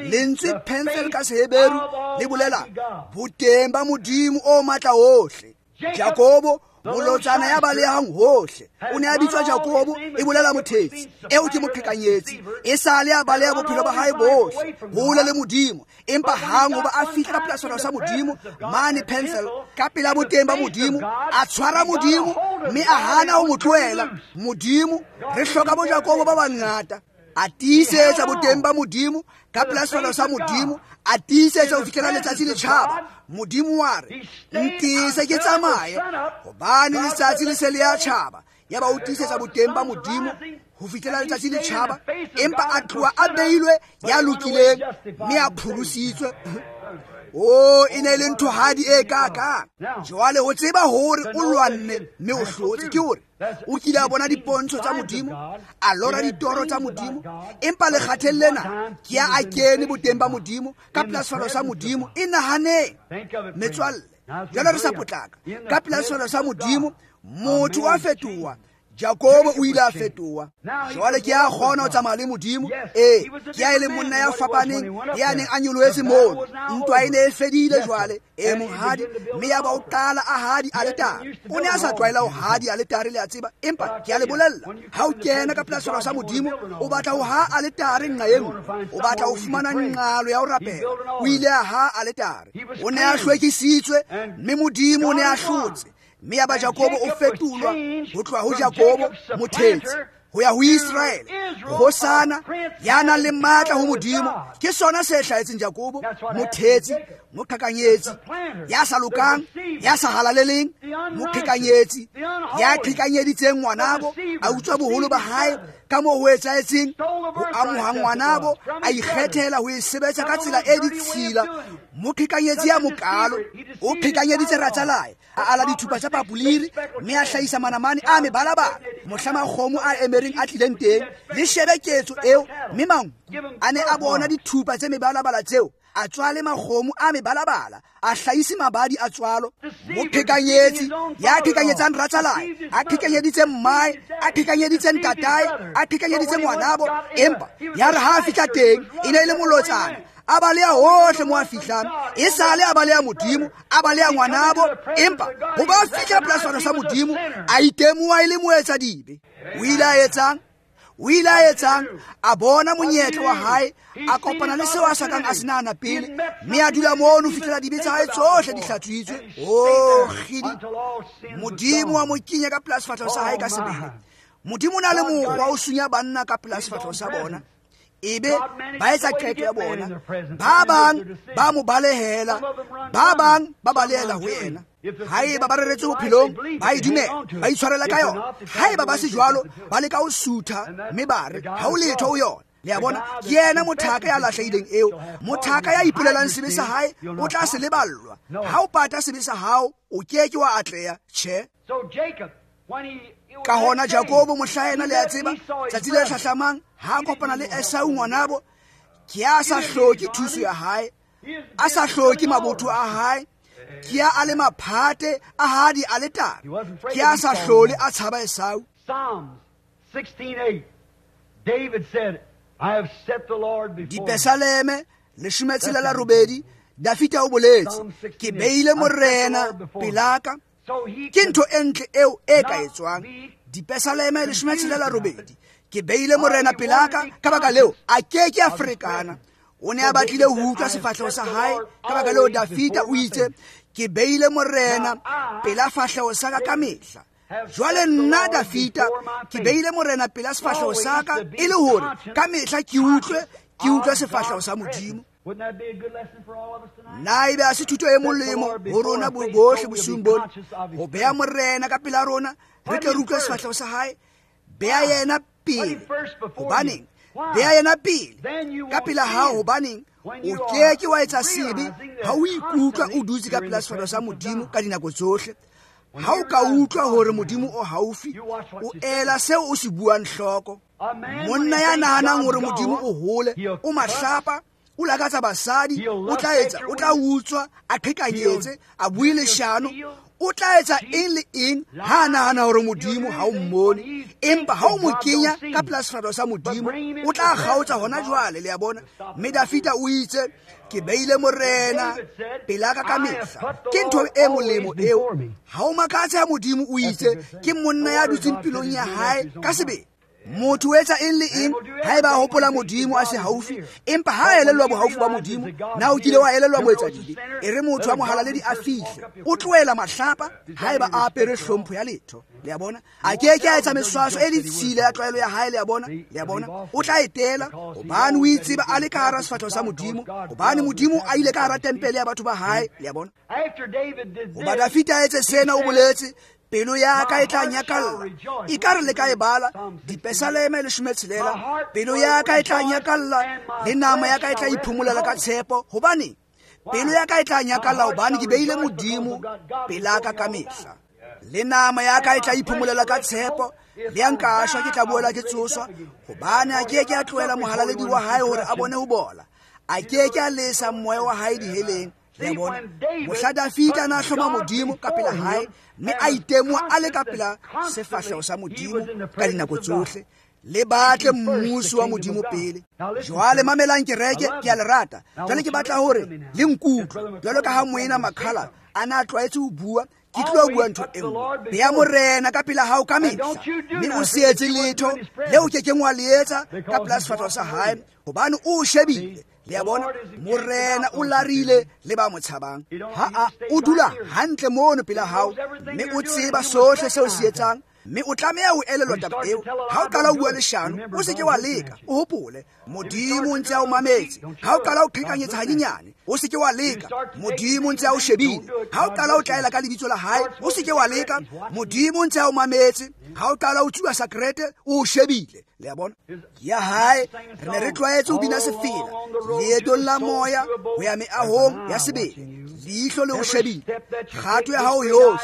Lentswe Penthel ka Seheberu le bolela boteng ba Modimo o matla ohle. Jakobo molotsana ya balehang hohle, o ne a bitswa Jakobo, e bolela mothetsi, eo ke moqhekanyetsi, e sale a baleha bophelo ba hae bohle hole le Modimo. Empa hang hoba a fihla ka pela sefahleho sa Modimo mane Penthel, ka pela boteng ba Modimo, a tshwara Modimo mme a hana ho mo tlohela. Modimo, re hloka bo Jakobo ba bangata. A tiisetsa boteng ba Modimo ka pela sefahleho sa Modimo, a tiisetsa ho fihlela letsatsi le tjhaba. Modimo wa re, ntise ke tsamaye, hobane letsatsi le se le ya tjhaba. Yaba o tiisetsa boteng ba Modimo ho fihlela letsatsi le tjhaba, empa a tloha a beilwe ya lokileng mme a pholositswe. O e ne e le nthohadi e kakang. Jwale ho tseba hore o lwanne mme o hlotse, ke hore o kile a bona dipontsho tsa Modimo, a lora ditoro tsa Modimo, empa lekgatheng lena ke ya a kene boteng ba Modimo ka pela sefahleho sa Modimo. E nahaneng metswalle, jwale re sa potlaka. Ka pela sefahleho sa Modimo motho wa fetoha. Jakobo o ile a fetoha. Jwale ke a kgona ho tsamaya le Modimo. Ee, ke a e le monna ya fapaneng, ya neng a nyolohetse mono. Ntwa e ne e fedile jwale. Ee, monghadi, mme yaba o qala a hadi aletare. O ne a sa tlwaela ho hadi aletare, le a tseba. Empa ke a le bolella, ha o kena ka pela sefahleho sa Modimo, o batla ho ha aletare nqa e nngwe, o batla ho fumana nqalo ya ho rapela. O ile a ha aletare. O ne a hlwekisitswe, mme Modimo o ne a hlotse. Mme yaba Jakobo o fetolwa ho tloha ho Jakobo mothetsi ho ya ho Israele, kgosana ya nang le matla ho Modimo. Ke sona se hlahetseng Jakobo, mothetsi, moqhekanyetsi, ya sa lokang, ya sa halaleleng, moqhekanyetsi, ya qhekanyeditseng ngwanabo, a utswa boholo ba hae ka moo ho etsahetseng, ho amoha ngwanabo, a ikgethela ho e sebetsa ka tsela e ditshila. Moqhekanyetsi ya mokalo o qhekanyeditse ratsalae, a ala dithupa tsa papoliri mme a hlahisa manamane a mebalabala. Mohla makgomo a emereng a tlileng teng, le shebe ketso eo, mme manku a ne a bona dithupa tse mebalabala tseo, a tswale makgomo a mebalabala, a hlahise mabadi a tswalo. Moqhekanyetsi ya qhekanyetsang ratsalae, a qhekanyeditse mmae, a qhekanyeditse ntatae, a qhekanyeditse ngwanabo, empa ya re ha a fihla teng e ne e le molotsana. A baleha hohle mo a fihlang, e sale a baleha Modimo, a baleha ngwanabo, empa ho ba fihla pela sefahleho sa Modimo, a itemoha e le moetsadibe. O ile a etsang? O ile a etsang? A bona monyetla wa hae, a kopana le seo a sa kang a se nahana pele, mme a dula mono ho fihlela dibe tsa hae tsohle di hlatswitswe. Oh, kgidi! Modimo wa mo kenya ka pela sefahleho sa hae ka sebele. Modimo o na le mokgwa o sunya banna ka pela sefahleho sa bona, ebe ba etsa qeto ya bona. Ba bang ba mo balehela, ba bang ba balehela ho yena. Haeba ba reretswe bophelong, ba e dumela, ba itshwarela ka yona. Haeba ba se jwalo, ba leka ho sutha mme ba re ha ho letho ho yona. Le a bona, ke yena mothaka ya lahlehileng eo. Mothaka ya ipolelang sebe sa hae o tla se leballwa. Ha o pata sebe sa hao, o ke ke wa atleha. Tjhe. Ka hona Jakobo mohla yena, le a tseba, tsatsi le hlahlamang ha a kopana le Esau ngwanabo, ke a sa hloke thuso ya hae, a sa hloke mabotho a hae, ke a a le maphate a hadi aletare, ke a sa hlole a tshaba Esau. Dipesaleme leshome tshelela robedi, Dafita o boletse, ke beile Morena pelaka. Ke ntho e ntle eo e ka etswang. Dipesaleme leshome tshelela robedi, ke beile Morena pelaka, ka baka leo a ke ke a ferekana. O ne a batlile ho utlwa sefahleho sa hae, ka baka leo Dafita o itse, ke beile Morena pela fahleho sa ka ka mehla. Jwale nna Dafita ke beile Morena pela sefahleho sa ka, e le hore ka mehla ke utlwe, ke utlwe sefahleho sa Modimo. Na ebe a se thuto e molemo ho rona bohle bosiung bona ho beha morena ka pela rona, re tle re utlwe sefahleho sa hae. Beha yena pele. Hobaneng? Beha yena pele ka pela hao. Hobaneng? O ke ke wa etsa sebe ha o ikutlwa o dutse ka pela sefahleho sa Modimo ka dinako tsohle. Ha o ka utlwa hore Modimo o haufi, o ela seo o se buang hloko. Monna ya nahanang hore Modimo o hole, o mahlapa, o lakatsa basadi, o tla etsa, o tla utswa, a qhekanyetse, a bue leshano, o tla etsa eng le eng ha a nahana hore Modimo ha o mmone. Empa ha o mo kenya ka pela sefahleho sa Modimo, o tla kgaotsa hona jwale, le a bona. Mme Dafida o itse, ke beile morena pela ka ka mehla. Ke ntho e molemo eo. Ha o makatse ha Modimo o itse, ke monna ya dutseng pelong ya hae ka sebele. Motho o etsa eng le eng haeba a hopola Modimo a se haufi, empa ha a elellwa bohaufi ba Modimo. Na o kile wa elellwa moetsadibe? E re motho wa mohalaledi a fihle, o tlohela mahlapa haeba a apere hlompho ya letho, le a bona. A ke ke a etsa meswaso e ditshila ya tlwaelo ya hae, le a bona, le a bona. O tla etela hobane o itseba a le ka hara sefahleho sa Modimo, hobane Modimo a ile ka hara tempele ya batho ba hae, le a bona. Hoba Dafida a etse sena, o boletse, pelo ya ka e tla nyakalla. Ekare le ka e bala Dipesaleme leshome tshelela, pelo ya ka e tla nyakalla le nama ya ka e tla iphomolela ka tshepo. Hobane pelo ya ka e tla nyakalla hobane ke beile Modimo pela ka ka mehla. Le nama ya ka e tla iphomolela ka tshepo, le ya nka shwa ke tla boela ke tsoswa, hobane a ke ke a tlohela mohalaledi wa hae hore a bone ho bola. A ke ke a lesa moya wa hae diheleng. Le bona, mohla Dafida na hloma Modimo ka pela hae, mme a itemoha a le ka pela sefahleho sa Modimo ka dinako tsohle. Le batle mmuso wa Modimo pele. Jwale mamelang kereke, ke a le rata. Jwale ke batla hore le nkutlwe. Jwalo ka ha moena Makhala a na tlwaetse ho bua, ke tlo bua ntho e nngwe. Beha morena ka pela hao ka mehla, mme o se etse letho leo ke keng wa le etsa ka pela sefahleho sa hae, hobane o shebile. Le a bona, morena o larile le ba mo tshabang. Ha a o dula hantle mono pela hao, mme o tseba sohle seo se etsang, mme o tlameha ho elellwa taba eo. Ha o qala ho bua leshano, o se ke wa leka, o hopole Modimo o ntse a o mametse. Ha o qala ho qhekanyetsa hanyenyane, o se ke wa leka, Modimo o ntse a o shebile. Ha o qala ho tlaela ka lebitso la hae, o se ke wa leka, Modimo o ntse a o mametse. Ha o qala ho tsuba sakrete, o shebile. Le a bona, ya hae re ne re tlwaetse ho bina sefela leetong la moya ho ya meahong ya sebele. Leihlo le o shebile kgato ya hao yohle,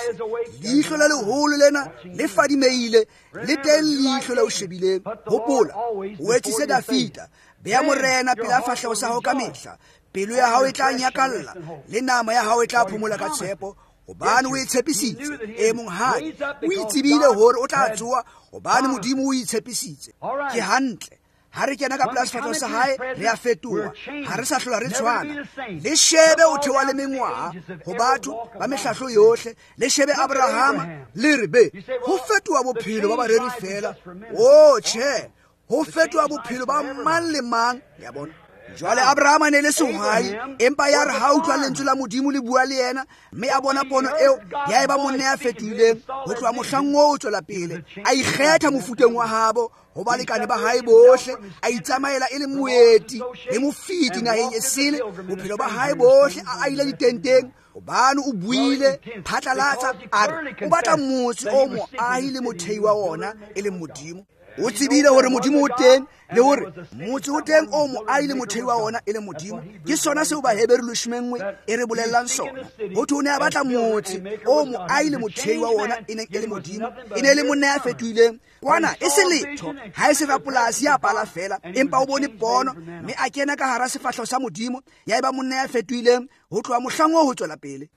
leihlo le leholo lena le fadimeile, le teng leihlo le o shebileng. Hopola, o etsise Dafida, beha morena pela fahleho sa hao ka mehla. Pelo ya hao e tla nyakalla le nama ya hao e tla phomola ka tshepo, hobane o e tshepisitse. E monghadi, o itsebile hore o tla tsoha, hobane Modimo o itshepisitse. Ke hantle. Ha re kena ka pela sefahleho sa hae, re a fetoha, ha re sa hlola re tshwana. Le shebe o theoha le mengwaha ho batho ba mehlahlo yohle. Le shebe Abrahama, le re be ho fetoha bophelo ba bareri fela. O tjhe, ho fetoha bophelo ba mang le mang, le a bona. Jwale Abrahama ne le sehwai, empa ya re ha utlwa lentswe la Modimo le bua le yena, mme a bona pono eo, ya eba monna ya fetohileng. Ho tloha mohlang oo ho tswela pele, a ikgetha mofuteng wa habo ho balekane ba hae bohle, a itsamaela e le moeti le mofeti naheng e sele. Bophelo ba hae bohle a aile ditenteng, hobane o buile phatlalatsa a re o batla motse o moahi le mothei wa ona e leng Modimo. O tsebile hore Modimo o teng, le hore motse o teng o moahi le mothei wa ona e leng Modimo. Ke sona seo Baheberu leshome nngwe e re bolellang sona. Ho thwe o ne a batla motse o moahi le mothei wa ona e neng e le Modimo. E ne e le monna ya fetohileng. Kwana e se letho, ha e se rapolasi ya pala fela, empa o bone pono, mme a kena ka hara sefahleho sa Modimo, ya eba monna ya fetohileng ho tloha mohlang oo ho tswela pele.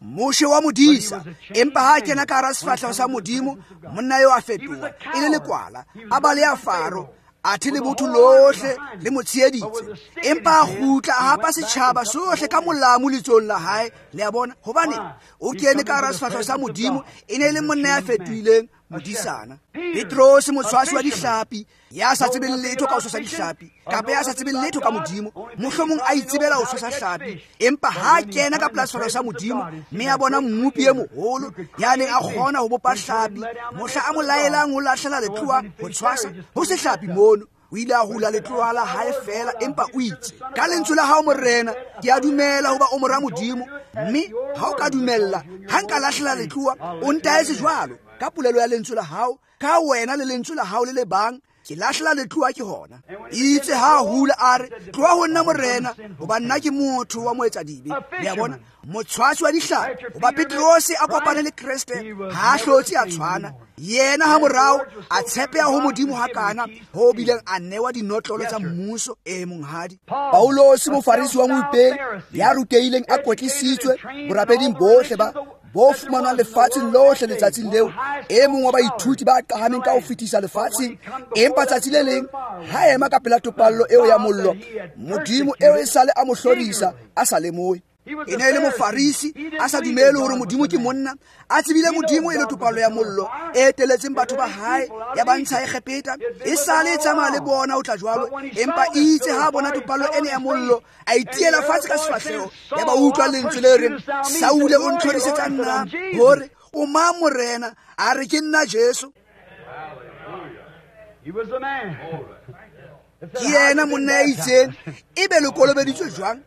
Moshe wa modisa, empa ha kena ka hara sefahleho sa Modimo, monna eo a fetoha e le lekwala, a baleha Faro, athe le botho lohle le mo tsheheditse, empa a kgutla a hapa setjhaba sohle ka molamu letsong la hae. Le a bona, hobane o kene ka hara sefahleho sa Modimo, e ne e le monna ya fetohileng modisana. Petrose, motshwasi wa dihlapi, ya sa tsebeng letho ka ho tshwasa dihlapi, kapa ya sa tsebeng letho ka Modimo, mohlomong a itsebela ho tshwasa hlapi, empa ha kena ka pela sefahleho sa Modimo, mme a bona mmopi e moholo ya neng a kgona ho bopa hlapi, mohla a mo laelang ho lahlela letlowa ho tshwasa, ho se hlapi mono. O ile a hula letloa la hae feela, empa o itse ka lentswe la hao morena, ke a dumela hoba o mora Modimo, mme ha o ka dumella ha nka lahlela letloa, o ntaetse jwalo ka polelo ya lentswe la hao, ka wena le lentswe la hao le le bang, ke lahlela letloa ke hona. Itse ha hula a re, tloha ho nna morena, hoba nna ke motho wa moetsadibe. Le a bona, motshwasi wa dihlapi, hoba Petrose a kopane le Kreste, ha a hlotse a tshwana. Yena ha morao a tshepeha ho Modimo hakana ho bileng a newa dinotlolo tsa mmuso. E monghadi Paulosi, mofarisi wa moipei ya rutehileng, a kwetlisitswe borapeding bohle ba bo fumanwang lefatsheng lohle letsatsing leo, e mong wa baithuti ba qahameng ka ho fetisa lefatsheng. Empa tsatsi le leng ha ema ka pela topallo eo ya mollo, Modimo eo e sale a mo hlorisa a sa lemohe. E ne e le mofarisi, a sa dumele hore Modimo ke monna, a tsebile Modimo e le topallo ya mollo e eteletseng batho ba hae ya ba ntsha Egepeta, e sale e tsamaya le bona o tla jwalo. Empa itse ha bona topallo ene ya mollo, a itiela fatshe ka sefahleho, ya ba utlwa lentswe le reng, Saule o ntlhorisetsa nna, hore o mang morena? A re ke nna Jesu. Ke yena monna ya itseng, ebe le kolobeditswe jwang?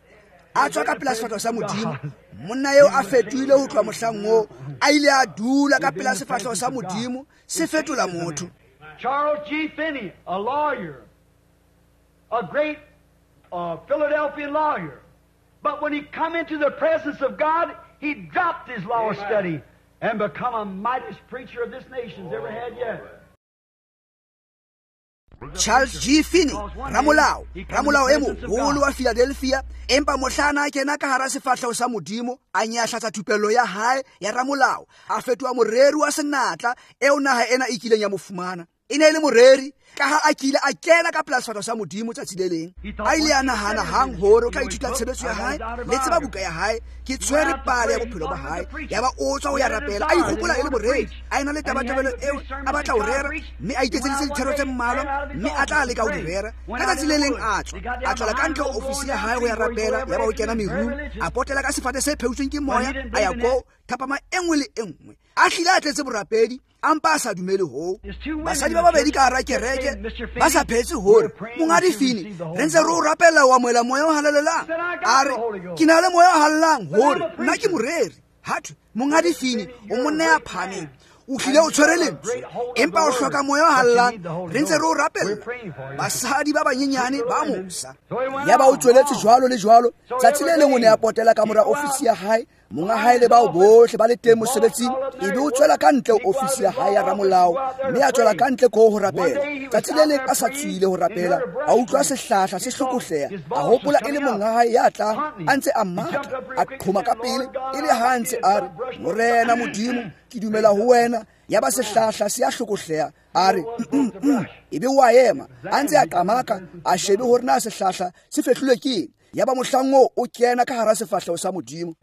A tswa ka pela sefahleho sa Modimo. Monna eo a fetohile ho tloha mohlang oo, a ile a dula ka pela sefahleho sa Modimo, se fetola motho. Charles G. Finney, a lawyer, a great uh, Philadelphia lawyer. But when he come into the presence of God, he dropped his law study and become a mightiest preacher of this nation's ever had yet. Charles G. Finney, ramolao, ramolao e moholo wa Philadelphia, empa mohlana a kena ka hara sefahleho sa Modimo, a nyahlatsa thupello ya hae ya ramolao, a fetoha moreri wa senatla eo naha ena e kileng ya mo fumana. E ne e le moreri ka ha a kile a kena ka pela sefahleho sa Modimo tsatsi le leng. A ile a nahana hang hore o tla ithuta tshebetso ya hae, le tseba buka ya hae, ke tshwere pale ya bophelo ba hae. Ya ba o tswa ho ya rapela, a ikgopola e le moreri, a ena le tabatabelo eo a batla ho rera, mme a iketseditse dithero tse mmalwa, mme a tla leka ho di rera. Ka tsatsi le leng a tswa, a tswela ka ntle ho ofisi ya hae ho ya rapela, ya ba o kena merung, a potela ka sefate se pheutsweng ke moya, a ya koo thapama e nngwe le e nngwe. A hlile a tletse borapedi, a mpa a sa dumele hoo. Basadi ba babedi ka hara kereke ba sa phetse hore monghadi Finney, re ntse re o rapella ho amohela moya o halalelang. A re, ke na le moya o halalelang, hore nna ke moreri. Ha thwe, monghadi Finney, o monna ya phahameng, o hlile o tshwere lentswe, empa o hloka moya o halalelang, re ntse re o rapella. Basadi ba banyenyane ba mosa. Ya ba o tsweletse jwalo le jwalo. Tsatsi le leng o ne a potela ka mora ofisi ya hae, monga hae le bao bohle ba le teng mosebetsing, ebe o tswela ka ntle ofisi ya hae ya ramolao, mme a tswela ka ntle ko ho rapela. Tsatsi le leng a sa tswile ho rapela, a utlwa sehlahla se hlokohleha, a hopola e le monga hae ya tlang a ntse a matha, a qhoma ka pele, e le ha a ntse a re, Morena Modimo, ke dumela ho wena. Ya ba sehlahla se a hlokohleha, a re ebe o a ema, a ntse a qamaka, a shebe hore na sehlahla se fehlilwe ke eng. Ya ba mohlang oo o kena ka hara sefahleho sa Modimo.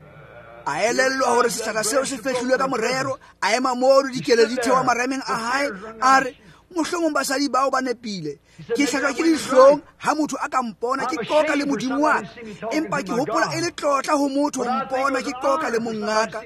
A elellwa hore sehlahla seo se fehlilwe ka morero, a ema moo dikele di theoha marameng a hae, a re, mohlomong basadi bao ba nepile, ke hlajwa ke dihlong ha motho a ka mpona ke qoka le Modimo wa ka, empa ke hopola e le tlotla ho motho ho mpona ke qoka le mongaka.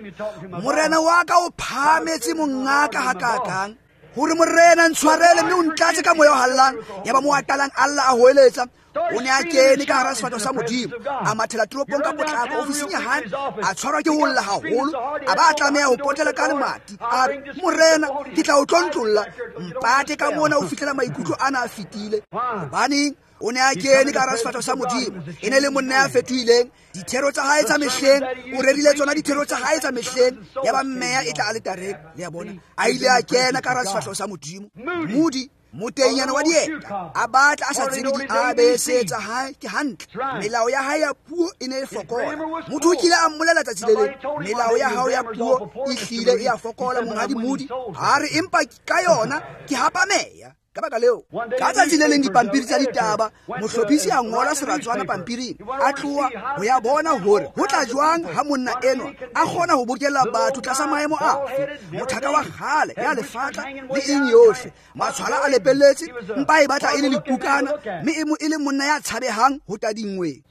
Morena wa ka o phahametse mongaka hakakang, hore morena ntshwarele mme o ntlatse ka moya o hallang. Ya ba mo a qalang a lla a hoeletsa. O ne a kene ka hara sefahleho sa Modimo, a mathela toropong ka potlako ofising ya hae, a tshwarwa ke ho lla haholo, a ba a tlameha ho potela ka lemati. A re, morena, ke tla o tlontlolla, mpate ka mona ho fihlela maikutlo ana a fetile. Hobaneng? O ne a kene ka hara sefahleho sa Modimo, e ne le monna ya fetohileng. Dithero tsa hae tsa mehleng, o rerile tsona dithero tsa hae tsa mehleng, ya ba mmeya e tla aletareng. Le a bona, a ile a kena ka hara sefahleho sa Modimo. Moody, motenyana wa dieta, a batla a sa tsebe di-A B C tsa hae ke hantle. Melao ya hae ya puo e ne e fokola. Motho o kile a mmolela tsatsi le leng, melao ya hao ya puo e hlile e a fokola, monghadi Moody. A re, empa ka yona ke hapa meya. Ka baka leo, ka tsatsi le leng dipampiri tsa ditaba, mohlophisi a ngola seratswana pampiring, a tloha ho ya bona hore ho tla jwang ha monna enwa a kgona ho bokella batho tlasa maemo afe. Mothaka wa kgale ya lefatla le eng yohle, matshwala a lepelletse, mpa e batla e le lekukana, mme e mo e le monna ya tshabehang ho tadingweng.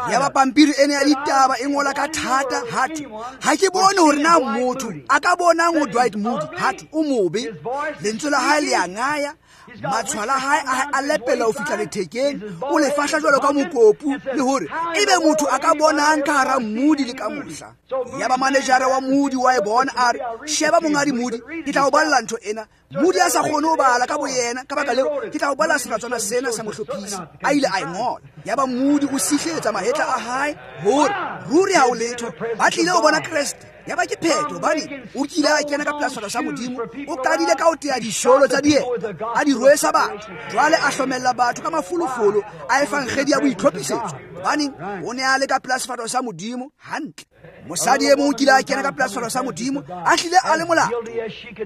Ya ba pampiri ene ya ditaba e ngola ka thata, hathwe, ha ke bone hore na motho a ka bonang ho Dwight Moody, hathwe o mobe, lentswe la hae le a ngaya, Matshwala a hae a lepela ho fihla lethekeng, o le fahla jwalo ka mokopu, le hore ebe motho a ka bonang ka hara Moody le ka mohla. Yaba manejara wa Moody wa e bona, a re, sheba mongadi Moody, ke tla o balla ntho ena. Moody a sa kgone ho bala ka boyena, ka baka leo ke tla o balla seratswana sena sa mohlophisi. A ile a e ngola. Yaba Moody o sihletsa mahetla a hae hore ruri ha o letho, ba tlile ho bona Kreste. Yaba ke phetho, hobane o kile a kena ka pela sefahleho sa Modimo, o qadile ka ho tea disholo tsa dieta, a di rwesa batho. Jwale a hlomella batho ka mafolofolo a efankgedi ya boitlhophisetso, hobane o ne a le ka pela sefahleho sa Modimo hantle. Mosadi e mong o kile a kena ka pela sefahleho sa Modimo, a hlile a le molato.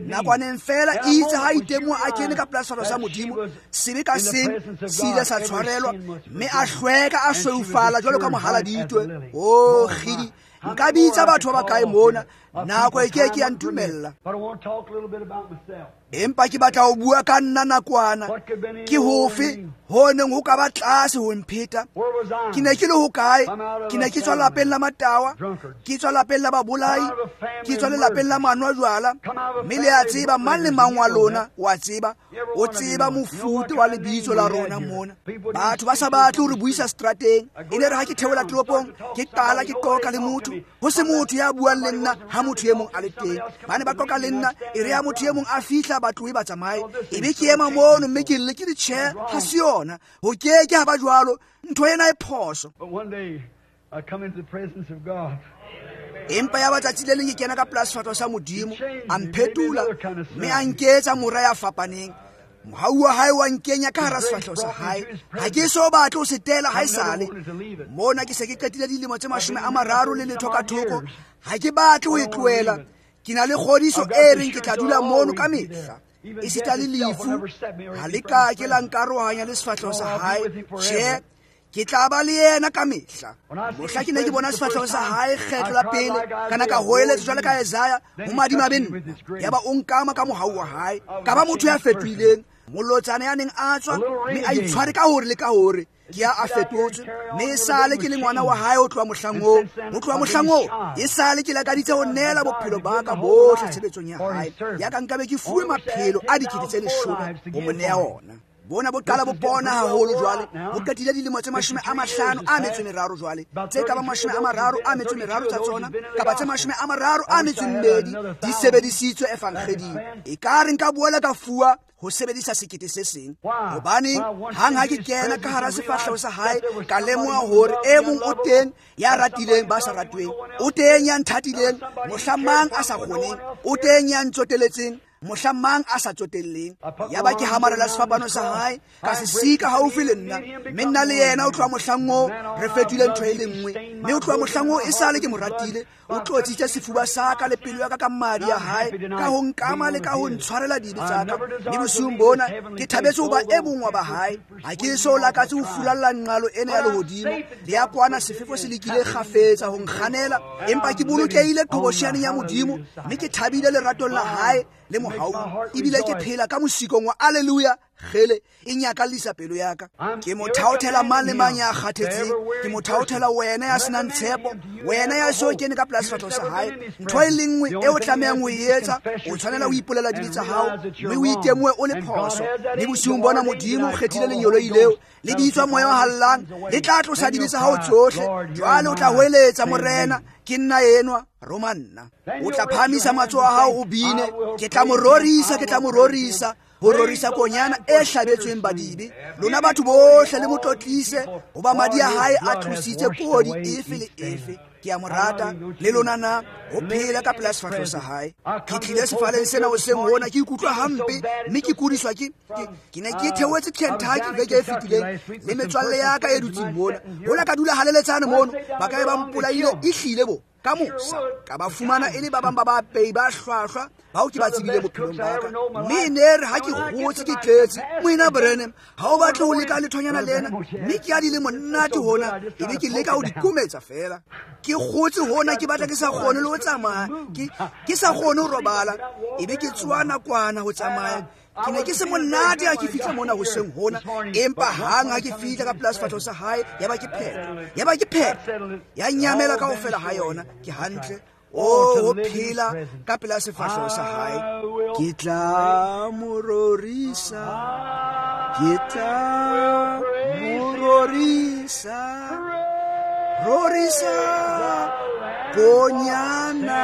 Nakwaneng fela itse ha itemoha a kene ka pela sefahleho sa Modimo, sebe ka seng se ile sa tshwarelwa, mme a hlweka a sweufala jwalo ka mohaladitwe. O kgidi, nka bitsa batho ba bakae mona, nako e ke ke ya ntumella. Empa ke batla ho bua ka nna nakwana. Ke hofe ho neng ho ka ba tlase ho mpheta? Ke ne ke le hokae? Ke ne ke tswa lapeng la matawa, ke tswa lapeng la babolai, ke tswa lelapeng la manwa jwala. Mme le a tseba, mang le mang wa lona wa tseba, o tseba mofuta wa lebitso la rona mona. Batho ba sa batle ho re buisa strateng. E ne re ha ke theola toropong, ke qala ke qoqa le motho, ho se motho ya buang le nna ha motho e mong a le teng. Ba ne ba qoqa le nna, e re ha motho e mong a fihla ba tlohe ba tsamaye. Ebe ke ema mono mme ke lle ke le tjhe, ha se yona. Ho ke ke ha ba jwalo, ntho ena e phoso. Empa ya ba tsatsi le leng ke kena ka pela sefahleho sa Modimo, a mphetola mme a nketsa mora ya fapaneng. Mohau wa hae wa nkenya ka hara sefahleho sa hae. Ha ke so batle ho se tela haesale. Mona ke se ke qetile dilemo tse mashome a mararo le letho ka thoko. Ha ke batle ho e tlohela. Ke na le kgodiso e reng ke tla dula mono ka mehla. Esita le lefu ha le ka ke la nkarohanya le sefahleho sa hae. Tjhe, ke tla ba le yena ka mehla. Mohla ke ne ke bona sefahleho sa hae kgetlo la pele, kana ka hoeletsa jwalo ka Isaiah, ho madimabe nna. Yaba o nkama ka mohau wa hae, ka ba motho ya fetohileng. Molotsana ya neng a tswa mme a itshware ka hore le ka hore ke ya a fetotswe, mme esale ke le ngwana wa hae ho tloha mohlang oo. Ho tloha mohlang oo esale ke lakaditse ho neela bophelo ba ka bohle tshebetsong ya hae. Ya ka nkabe ke fuwe maphelo a dikete tse leshome ho mo neha ona. Bona bo qala bo bona haholo jwale, bo qetile dilemo tse mashome a mahlano a metso e meraro jwale, tse ka ba mashome a mararo a metso e meraro tsa tsona, kapa tse mashome a mararo a metso e mmedi di sebedisitswe efankgeding. E ka re nka boela ka fuwa ho sebedisa sekete se seng. Hobane hang ha ke kena ka hara sefahleho sa hae, ka lemoha hore e mong o teng ya ratileng ba sa ratweng, o teng ya nthatileng mohla mang a sa kgoneng, o teng ya ntsoteletseng mohla mang a sa tsotelleng. Yaba ke hamarela sefapano sa hae, ka se sika haufi le nna, mme nna le yena o tloha mohlang oo re fetohile ntho e le nngwe. Mme o tloha mohlang oo esale ke mo ratile, o tlotsitse sefuba sa ka le pelo ya ka ka madi a hae, ka ho nkama le ka ho ntshwarela dibe tsa ka. Mme bosiung bona ke thabetse ho ba e mong wa ba hae. Ha ke so lakatse ho furalla nqalo ena ya lehodimo, le ya kwana sefefo se lekile kgafetsa ho nkganela, empa ke bolokehile qhobosheaneng ya Modimo, mme ke thabile leratong la hae le mohau, ebile ke phela ka mosikong wa alleluia. Kgele e nyakallisa pelo ya ka. Ke mo thaothela mang le mang ya kgathetseng, ke mo thaothela wena ya senang tshepo, wena ya so kene ka pela sefahleho sa hae. Ntho e le nngwe e o tlamehang ho e etsa, o tshwanela ho ipolela dibe tsa hao mme o itemohe o le phoso. Mme bosiung bona Modimo o kgethile lengeloi leo le bitswa Moya o Halalelang, le tla tlosa dibe tsa hao tsohle. Jwale o tla hoeletsa, Morena, ke nna enwa, roma nna. O tla phahamisa matsoho a hao o bine, ke tla mo rorisa, ke tla mo rorisa, ho rorisa konyana e hlabetsweng badibe. Lona batho bohle le mo tlotlise, hoba madi a hae a tlositse kodi efe le efe. Ke a mo rata, le lona na ho phela ka pela sefahleho sa hae. Ke tlile sefaleng sena hoseng hona ke ikutlwa hampe, mme ke kudiswa ke ke ne ke theohetse Kentucky beke e fetileng le metswalle ya ka e dutseng mona. Hola ka dula haleletsane mono, ba ka be ba mpolaile ehlile bo ka mosa, ka ba fumana e le ba bang ba bapei ba hlwahlwa bao ke ba tsebile bophelong ba ka. Mme e ne re ha ke kgotse ke tletse, Moena Branham, ha o batle ho leka lethonyana lena, mme ke a di le monate hona, ebe ke leka ho di kometsa fela. Ke kgotse hona, ke batla ke sa kgone le ho tsamaya, ke ke sa kgone ho robala, ebe ke tsoha nakwana ho tsamaya. Ke ne ke se monate ha ke fihla mona hoseng hona, empa hang ha ke fihla ka pela sefahleho sa hae, yaba ke phetho, yaba ke phetho, ya nyamela kaofela ha yona. Ke hantle. O ho phela ka pela sefahleho sa hae. Ke tla mo rorisa, ke tla mo rorisa, rorisa konyana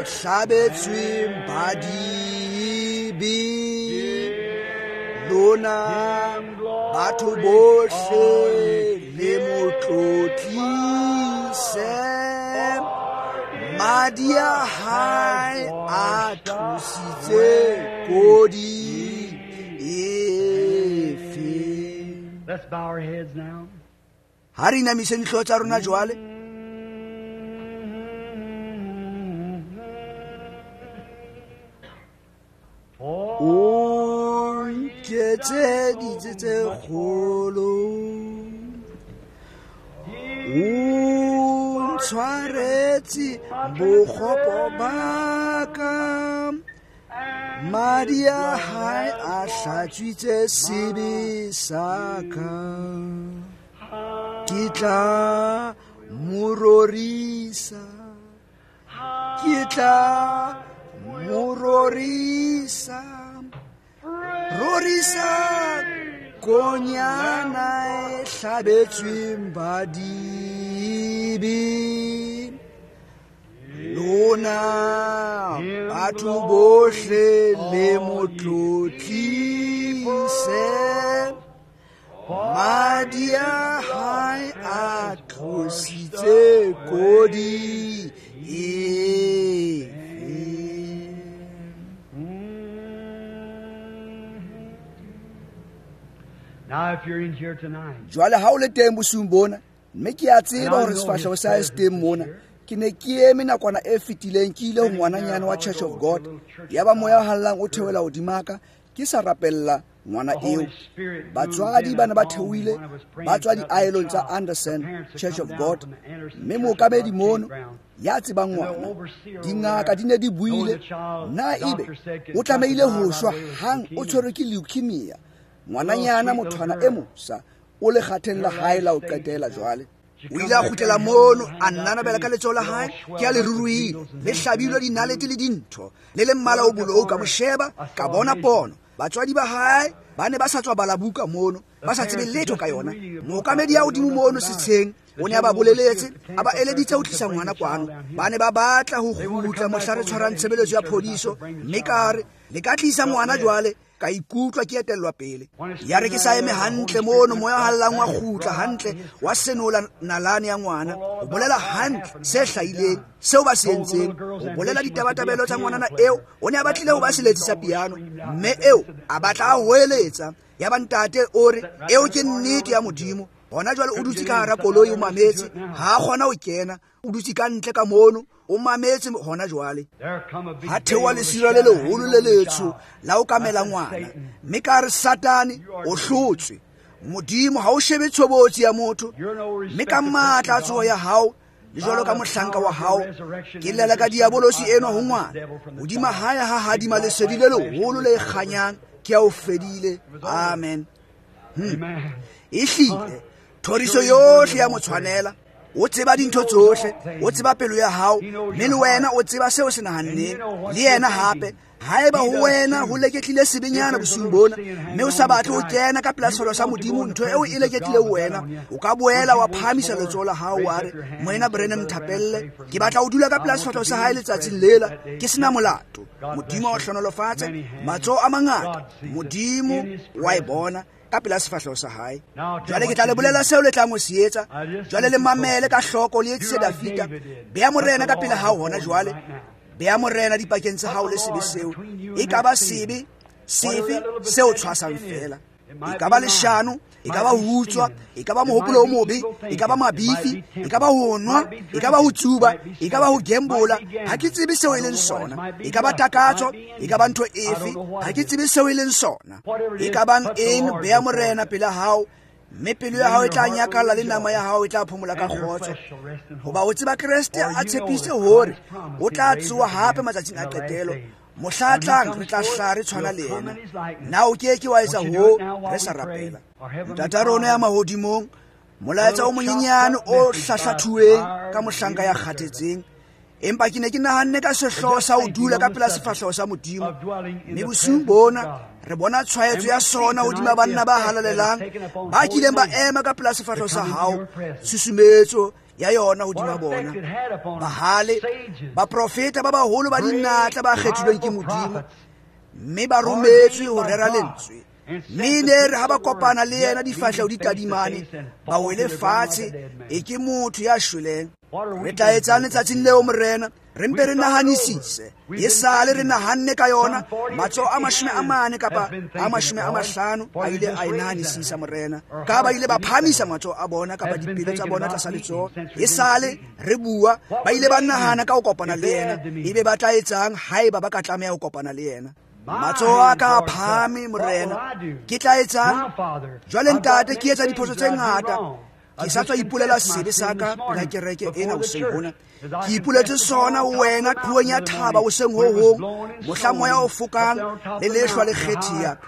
hlabetsweng badibe. Lona batho bohle le mo tlotlise, madi a hae a tlositse kodi efe. Let's bow our heads now. Ha re inamiseng dihlooho tsa rona jwale. O nketseditse tse kgolo, o ntshwaretse bokgopo ba ka, madi a hae a hlatswitse sebe sa ka. Ke tla mo rorisa, ke tla mo rorisa, rorisa konyana e hlabetsweng badibe. Lona batho bohle le mo tlotlise, madi a hae a tlositse kodi efe. Now if you're in here tonight, jwale ha o le teng bosiung bona, mme ke a tseba hore sefahleho sa hae se teng mona. Ke ne ke eme nakwana e fetileng, ke ile ho ngwananyana wa Church of God, yaba moya o hallang o theohela hodima ka, ke sa rapella ngwana eo. Batswadi ba ne ba theohile ba tswa diaelong tsa Anderson Church of God, mme mookamedi mono ya tsebang ngwana, dingaka di ne di buile na ebe o tlamehile ho shwa hang, o tshwerwe ke leukemia. Ngwananyana mothwana e mosa o le kgatheng la hae la ho qetela jwale. O ile a kgutlela mono, a nnanabela ka letsoho la hae, ke a le ruruhile, le hlabilwe dinalete le dintho, le le mmala o bolou. Ka mo sheba, ka bona pono. Batswadi ba hae ba ne ba sa tswa bala buka mono, ba sa tsebe letho ka yona. Mookamedi ya hodimo mono setsheng o ne a ba boleletse, a ba eleditse ho tlisa ngwana kwano. Ba ne ba batla ho kgutla mohla re tshwarang tshebeletso ya phodiso, mme ka re le ka tlisa ngwana jwale. Ka ikutlwa ke etellwa pele. Ya re ke sa eme hantle mono, moya o hallang wa kgutla hantle, wa senola nalane ya ngwana, o bolela hantle se hlahileng, seo ba se entseng, o bolela ditabatabelo tsa ngwanana eo. O ne a batlile ho ba seletsi sa piano, mme eo a batla a hoeletsa. Ya ba ntate o re eo ke nnete ya Modimo. Hona jwale o dutse ka hara koloi o mametse, ha a kgona ho kena, o dutse ka ntle ka mono o mametse hona jwale. Ha theoha lesira le leholo le letsho la o kamela ngwana, mme ka re Satane o hlotswe. Modimo ha o shebe tshobotsi ya motho, mme ka matla a tsoho ya hao le jwalo ka mohlanka wa hao, ke llela ka diabolosi enwa ho ngwana. Hodima hae ha hadima lesedi le leholo le kganyang, ke a o fedile. Amen. Hmm. Ehlile thoriso yohle ya mo tshwanela. O tseba dintho tsohle, o tseba pelo ya hao, mme le wena o tseba seo se nahanneng. Le yena hape, haeba ho wena ho leketlile sebenyana bosiung bona, mme o sa batle ho kena ka pela sefahleho sa Modimo, ntho eo e leketlile ho wena, o ka boela wa phahamisa letsoho la hao wa re, Moena Branham nthapelle, ke batla ho dula ka pela sefahleho sa hae letsatsing lela, ke sena molato. Modimo a o hlohonolofatse. Matsoho a mangata, Modimo wa e bona ka pela sefahleho sa hae. Jwale ke tla le bolela seo le tlang ho se etsa. Jwale le mamele ka hloko, le etsise Dafita. Bea Morena ka pele hao hona jwale. Bea Morena dipakeng tsa hao le sebe seo. E ka ba sebe sefe seo tshwasang fela. E ka ba leshano, e ka ba ho utswa, e ka ba mohopolo o mobe, e ka ba mabifi, e ka ba ho nwa, e ka ba ho tsuba, e ka ba ho gembola. Ha ke tsebe seo e leng sona. E ka ba takatso, e ka ba ntho efe, ha ke tsebe seo e leng sona. E ka bang eng, bea Morena pela hao, mme pelo ya hao e tla nyakalla le nama ya hao e tla phomola ka kgotso. Hoba o tseba Kreste a tshepise hore o tla tsoha hape matsatsing a qetelo. Mohla tlang re tla hla re tshwana le yena. Na o ke ke wa etsa ho re sa rapela. Ntata rona ya mahodimong, molaetsa o monyenyane o hlahlathuweng ka mohlanka ya kgathetseng, Empa ke ne ke nahanne ka sehlooho sa ho dula ka pela sefahleho sa Modimo. Mme bosiung bona re bona tshwaetso ya sona hodima banna ba halalelang ba kileng ba ema ka pela sefahleho sa hao, susumetso ya yona hodima bona. Bahale, baprofeta ba baholo ba dinatla ba kgethilweng ke Modimo, mme ba rometswe ho rera lentswe. Mme ne re ha ba kopana le yena difahleho di tadimane, ba wele fatshe e ke motho ya shweleng. Re tla etsang letsatsing leo, Morena? Re mpe re nahanisise. E sale re nahanne ka yona. Matsoho a mashome a mane kapa a mashome a mahlano a ile a e nahanisisa, Morena. Ka ba ile ba phahamisa matsoho a bona kapa dipelo tsa bona tlasa letsoho. E sale re bua, ba ile ba nahana ka ho kopana le yena. Ebe ba tla etsang haeba ba ka tlameha ho kopana le yena? Matsoho a ka a phahame, Morena. Ke tla etsang? Jwale Ntate, ke etsa diphoso tse ngata. Ke sa tswa ipolela sebe sa ka pela kereke ena hoseng hona. Ke ipoletse sona ho wena qhoweng ya thaba hoseng ho hong, mohla moya o fokang le lehlwa le kgethiya.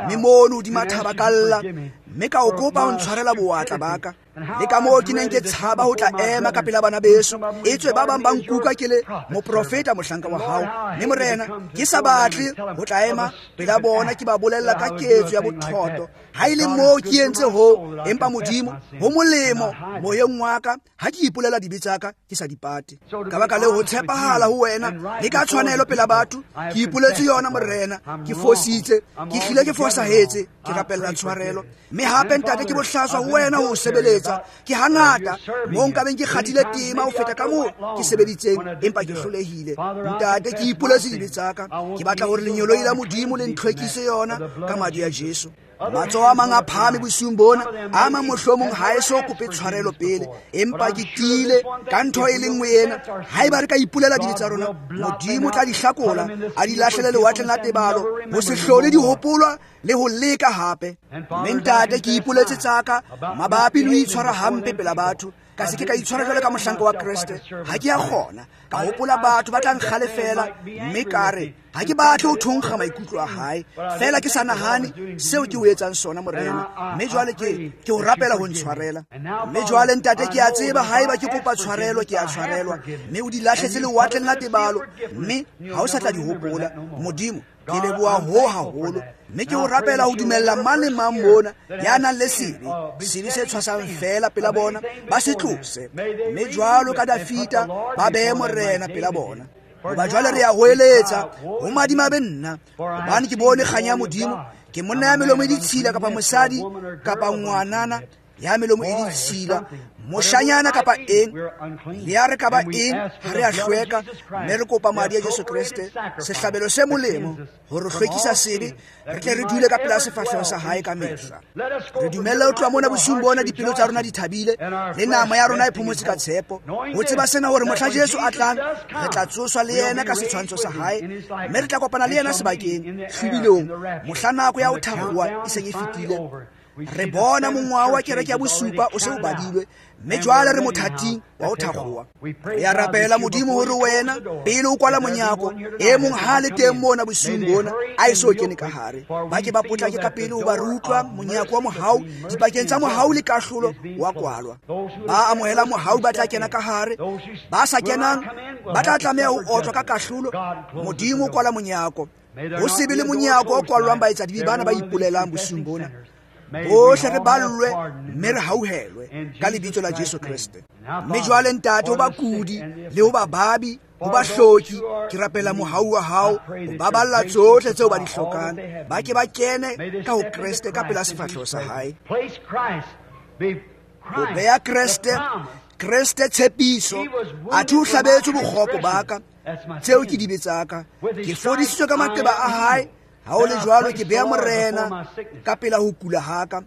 Mme mono hodima thaba ka lla, mme ka o kopa ho ntshwarela bowatla ba ka. Le ka moo ke neng ke tshaba ho tla ema ka pela bana beso, etswe ba bang ba nkuka ke le moprofeta mohlanka wa hao. Mme Morena, ke sa batle ho tla ema pela bona ke ba bolella ka ketso ya bothoto. Ha e le moo ke entse ho, empa Modimo ho molemo moyeng wa ka ha ke ipolela dibe tsa ka ke sa di pate. Ka baka leo ho tshepahala ho wena le ka tshwanelo pela batho, ke ipoletse yona, Morena. Ke fositse, ke hlile ke fosahetse, ke rapella tshwarelo. Mme hape Ntate, ke bohlaswa ho wena ho o sebeletsa. Ke hangata moo nkabeng ke kgathile tema ho feta ka moo ke sebeditseng, empa ke hlolehile. Ntate, ke ipoletse dibe tsa ka. Ke batla hore lenyoloi la Modimo le ntlhwekise yona ka madi a Jesu. Matsoho a mang a phahame bosiung bona, a mang mohlomong ha e so kope tshwarelo pele, empa ke tiile ka ntho e le nngwe ena. Haeba re ka ipolela dibe tsa rona, Modimo tla di hlakola, a di lahlele lewatleng la tebalo, ho se hlole di hopolwa le ho leka hape. Mme Ntate, ke ipoletse tsa ka mabapi le ho itshwara hampe pela batho. Ka se ke ka itshwara jwalo ka mohlanka wa Kreste. Ha ke a kgona. Ka hopola batho ba tla nkgalefela, mme ka re ha ke batle ho thonkga maikutlo a hae. Feela ke sa nahane seo ke o etsang sona, Morena. Mme jwale ke ke o rapela ho ntshwarela. Mme jwale Ntate, ke a tseba haeba ke kopa tshwarelo, ke a tshwarelwa. Mme o di lahletse lewatleng la tebalo, mme ha o sa tla di hopola. Modimo, ke leboha ho haholo. Mme ke o rapela ho dumella mang le mang mona ya nang le sebe, sebe se tshwasang feela pela bona, ba se tlose. Mme jwalo ka Dafita, ba behe Morena pela bona. Hoba jwale re a hoeletsa ho madimabe nna, hobane ke bone kganya ya Modimo. Ke monna ya melomo e ditshila kapa mosadi kapa ngwanana ya melomo e ditshila, moshanyana kapa eng, le ya re ka ba eng, ha re a hlweka. Mme re kopa madi a Jesu Kreste, sehlabelo se molemo ho re hlwekisa sebe, re tle re dule ka pela sefahleho sa hae ka mehla. Re dumelle ho tloha mona bosiung bona dipelo tsa rona di thabile, le nama ya rona e phomotse ka tshepo, ho tseba sena hore mohla Jesu a tlang, re tla tsoswa le yena ka setshwantsho sa hae, mme re tla kopana le yena sebakeng hlwibilong mohla nako ya ho thahoha e seng e fetile. Re bona mongwaha wa kereke ya bosupa o se o badilwe, mme jwale re mothating wa ho thakgoha. Re a rapela Modimo hore wena pele o kwala monyako, e mong ha le teng mona bosiung bona a eso kene ka hare, ba ke ba potlake ka pele ho ba re utlwa monyako wa mohau dipakeng tsa mohau le kahlolo wa kwalwa. Ba amohela mohau ba tla kena ka hare, ba sa kenang ba tla tlameha ho otlwa ka kahlolo. Modimo o kwala monyako, ho se be le monyako o kwalwang baetsadibe bana ba ipolelang bosiung bona. Bohle re ballwe mme re hauhelwe ka lebitso la Jesu Kreste. Mme jwale Ntate, ho bakudi le ho bababi, ho bahloki, ke rapela mohau wa hao ho baballa tsohle tseo ba di hlokang. Ba ke ba kene ka ho Kreste ka pela sefahleho sa hae. Ho beha Kreste, Kreste tshepiso, athe o hlabetswe bokgopo ba ka, tseo ke dibe tsa ka. Ke fodisitswe ka maqeba a hae. Ha o le jwalo, ke beha Morena ka pela ho kula ha ka.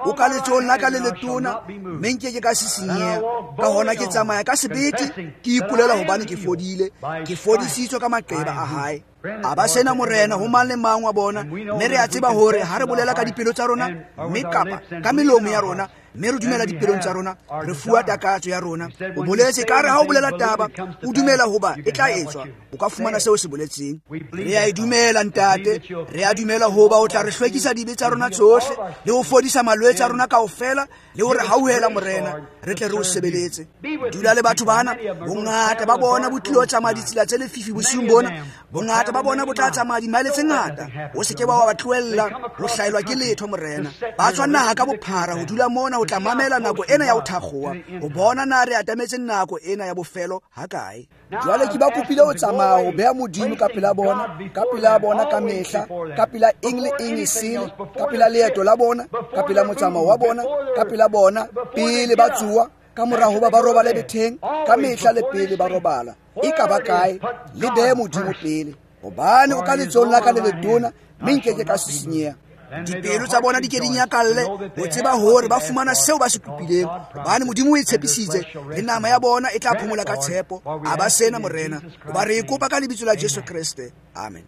O ka letsohong la ka le letona, mme nke ke ka sisinyeha. Ka hona ke tsamaya ka sebete, ke ipolela hobane ke fodile, ke fodisitswe ka maqeba a hae. A ba sena Morena ho mang le mang wa bona, mme re a tseba hore ha re bolela ka dipelo tsa rona, mme kapa ka melomo ya rona, Mme re dumela dipelong tsa rona, re fuwa takatso ya rona. O boletse ka re ha o bolela taba, o dumela hoba e tla etswa, o ka fumana seo se boletseng. Re a e dumela ntate, re a dumela hoba o tla re hlwekisa dibe tsa rona tsohle le ho fodisa malwetse a rona kaofela le ho re hauhela Morena, re tle re o sebeletse. Dula le batho bana, bongata ba bona bo tlilo tsamaya ditsela tse lefifi bosiung bona, bongata ba bona bo tla tsamaya dimaele tse ngata. O se ke wa ba tlohella ho hlaelwa ke letho Morena. Ba tswa naha ka bophara ho dula mona ho tla mamela nako ena ya ho thakgowa, ho bona na re atametse nako ena ya bofelo hakae. Jwale ke ba kopile ho tsamaya ho beha Modimo ka pela bona, ka pela bona ka mehla, ka pela eng le eng e sele, ka pela leeto la bona, ka pela motsamao wa bona, ka pela bona pele ba tsoa, ka mora hoba ba robale betheng, ka mehla le pele ba robala. E ka ba kae, le behe Modimo pele, hobane o ka letsohong la ka le letona, mme nke ke ka sisinyeha. Dipelo tsa bona di ke di nyakalle ho tseba hore ba fumana seo ba se kopileng, hobane Modimo o e tshepisitse, le nama ya bona e tla phomola ka tshepo. A ba sena Morena, hoba re e kopa ka lebitso la Jesu Kreste. Amen.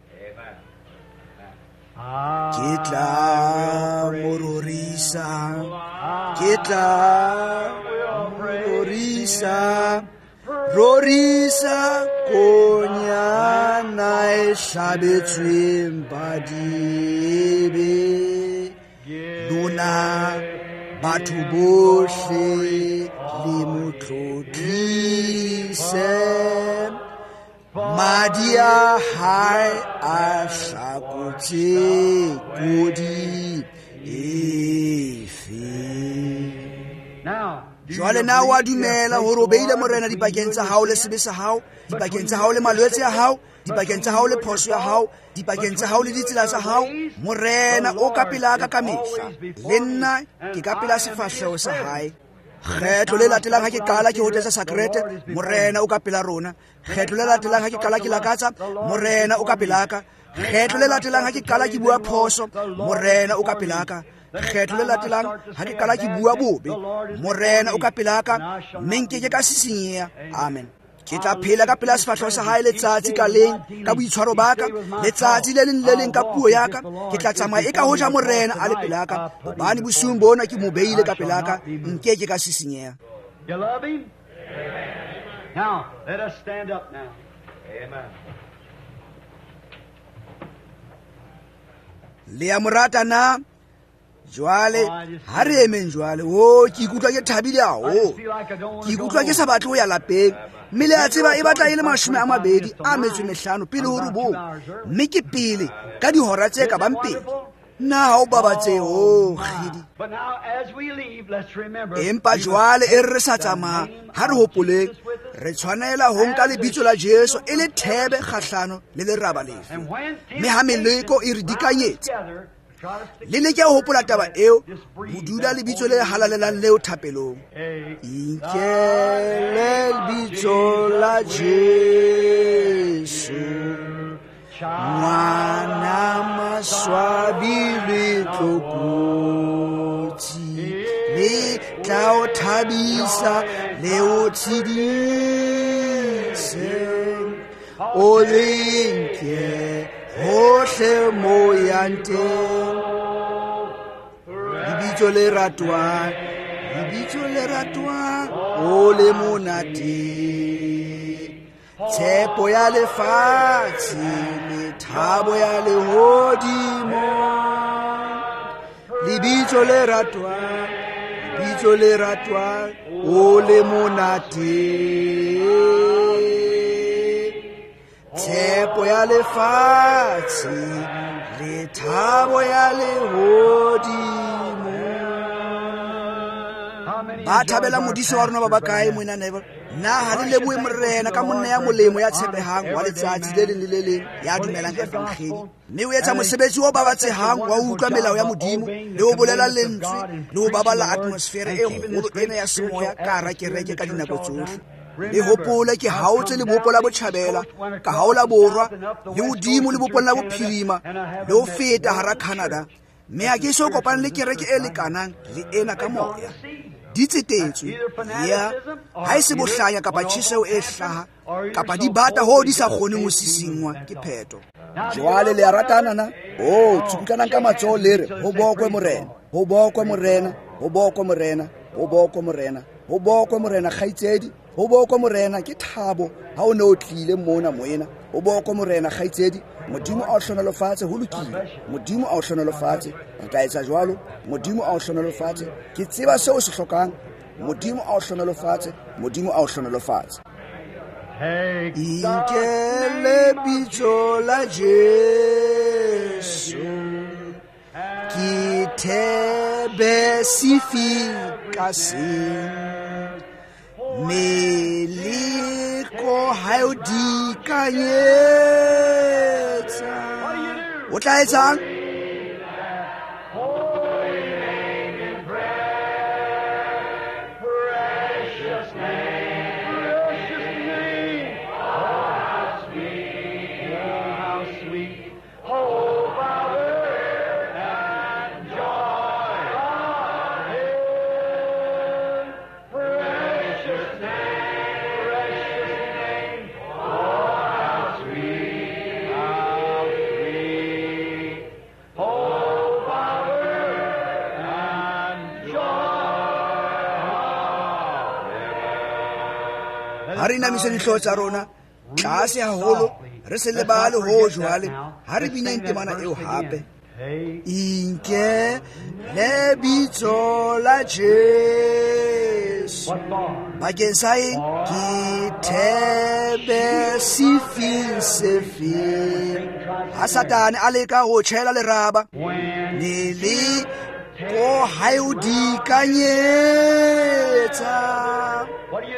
Ke tla mo rorisa, ke tla mo rorisa, rorisa konyana e hlabetsweng badibe. Lona batho bohle le mo tlotlise, madi a hae a hlakotse kodi efe. Jwale na wa dumela hore o beile Morena dipakeng tsa hao le sebe sa hao, dipakeng tsa hao le malwetse a hao, dipakeng tsa hao le phoso ya hao, dipakeng tsa hao le ditsela tsa hao? Morena o ka pela ka ka mehla, le nna ke ka pela sefahleho sa hae. Kgetlo le latelang ha ke qala ke hotetsa sakrete, Morena o ka pela rona. Kgetlo le latelang ha ke qala ke lakatsa, Morena o ka pela ka. Kgetlo le latelang ha ke qala ke bua phoso, Morena o ka pela ka. Kgetlo le latelang ha ke qala ke bua bobe, Morena o ka pela ka, mme nke ke ka sisinyeha. Amen. Ke tla phela ka pela sefahleho sa hae letsatsi ka leng ka boitshwaro ba ka, letsatsi le leng le leng ka puo ya ka. Ke tla tsamaya e ka hoja Morena a le pela ka, hobane bosiung bona ke mo beile ka pela ka, nke ke ka sisinyeha. You love him? Now, let us stand up now. Amen. Le a mo rata na? Jwale ha re emeng jwale. O ke ikutlwa ke thabile haholo, ke ikutlwa ke sa batle ho ya lapeng. Mme le a tseba e batla e le mashome a mabedi a metso e mehlano pele ho robong, mme ke pele ka dihora tse ka bang pedi. Nna ha o babatsehe ho kgidi. Empa jwale e re re sa tsamaya, ha re hopoleng re tshwanela ho nka lebitso la Jesu e le thebe kgahlano le leraba lefe. Mme ha meleko e re dikanyetsa, le leke ho hopola taba eo, ho dula lebitso le halalelang leo thapelong. Inkele lebitso la Jesu, ngwana maswabi le tlokotsi, le tla o thabisa le o tshedise, o le nke hohle mo yang teng. Lebitso le ratwang, lebitso le ratwang, o le monate, tshepo ya lefatshe le thabo ya lehodimo. Lebitso le ratwang, lebitso le ratwang, o le monate, tshepo ya lefatshe le thabo ya lehodimo. Ba thabela modise wa rona ba bakae moena Neville? Na ha le lebohe Morena ka monna ya molemo ya tshepehang wa letsatsi le leng le le leng ya dumelang evangeli, mme o etsa mosebetsi o babatsehang wa ho utlwa melao ya Modimo le ho bolela lentswe le ho baballa atmosfere e kgolo ena ya semoya ka hara kereke ka dinako tsohle. Le hopole ke haotse lebopo la botjhabela, ka haola borwa, le hodimo lebopong la bophirima, le ho feta hara Canada, mme ha ke so kopane le kereke e lekanang le ena ka moya. Di tsetetswe ya ha e se bohlanya kapa tjheseho e hlaha kapa di bata hoo di sa kgoneng ho sisingwa ke pheto. Jwale le a ratana na? Oh, tsukutlanang ka matsoho le re ho bokwe Morena, ho bokwe Morena, ho bokwe Morena. Ho bokwe Morena, ho bokwe Morena kgaitsedi, ho bokwe Morena. Ke thabo ha o ne o tlile mona moena. Ho bokwe Morena kgaitsedi. Modimo a o hlohonolofatse, ho lokile. Modimo a o hlohonolofatse. Re tla etsa jwalo. Modimo a o hlohonolofatse. Ke tseba seo o se hlokang. Modimo a o hlohonolofatse. Modimo a o hlohonolofatse. Inkele bitso la Jesu, ke thebe sefika seng, meleko ha e o dikanyetsa. O tla etsang? Ha re inamise dihlooho tsa rona tlase haholo, re se lebale ho jwale. Ha re bineng temana eo hape. Inke lebitso la Jesu, bakeng sa eng? Ke thebe sefing sefeng. Ha Satane a leka ho tjhela leraba, le ko ha e o dikanyetsa.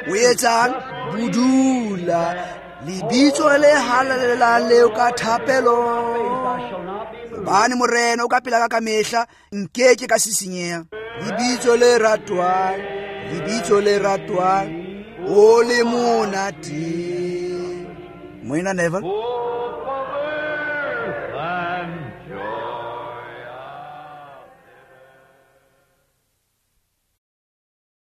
O etsang? Budula lebitso le halalelang leo ka thapelo. Hobane Morena o ka pela ka ka mehla, nkeke ka sisinyeha. Lebitso le ratwang, lebitso le ratwang, o le monate. Moena Neville.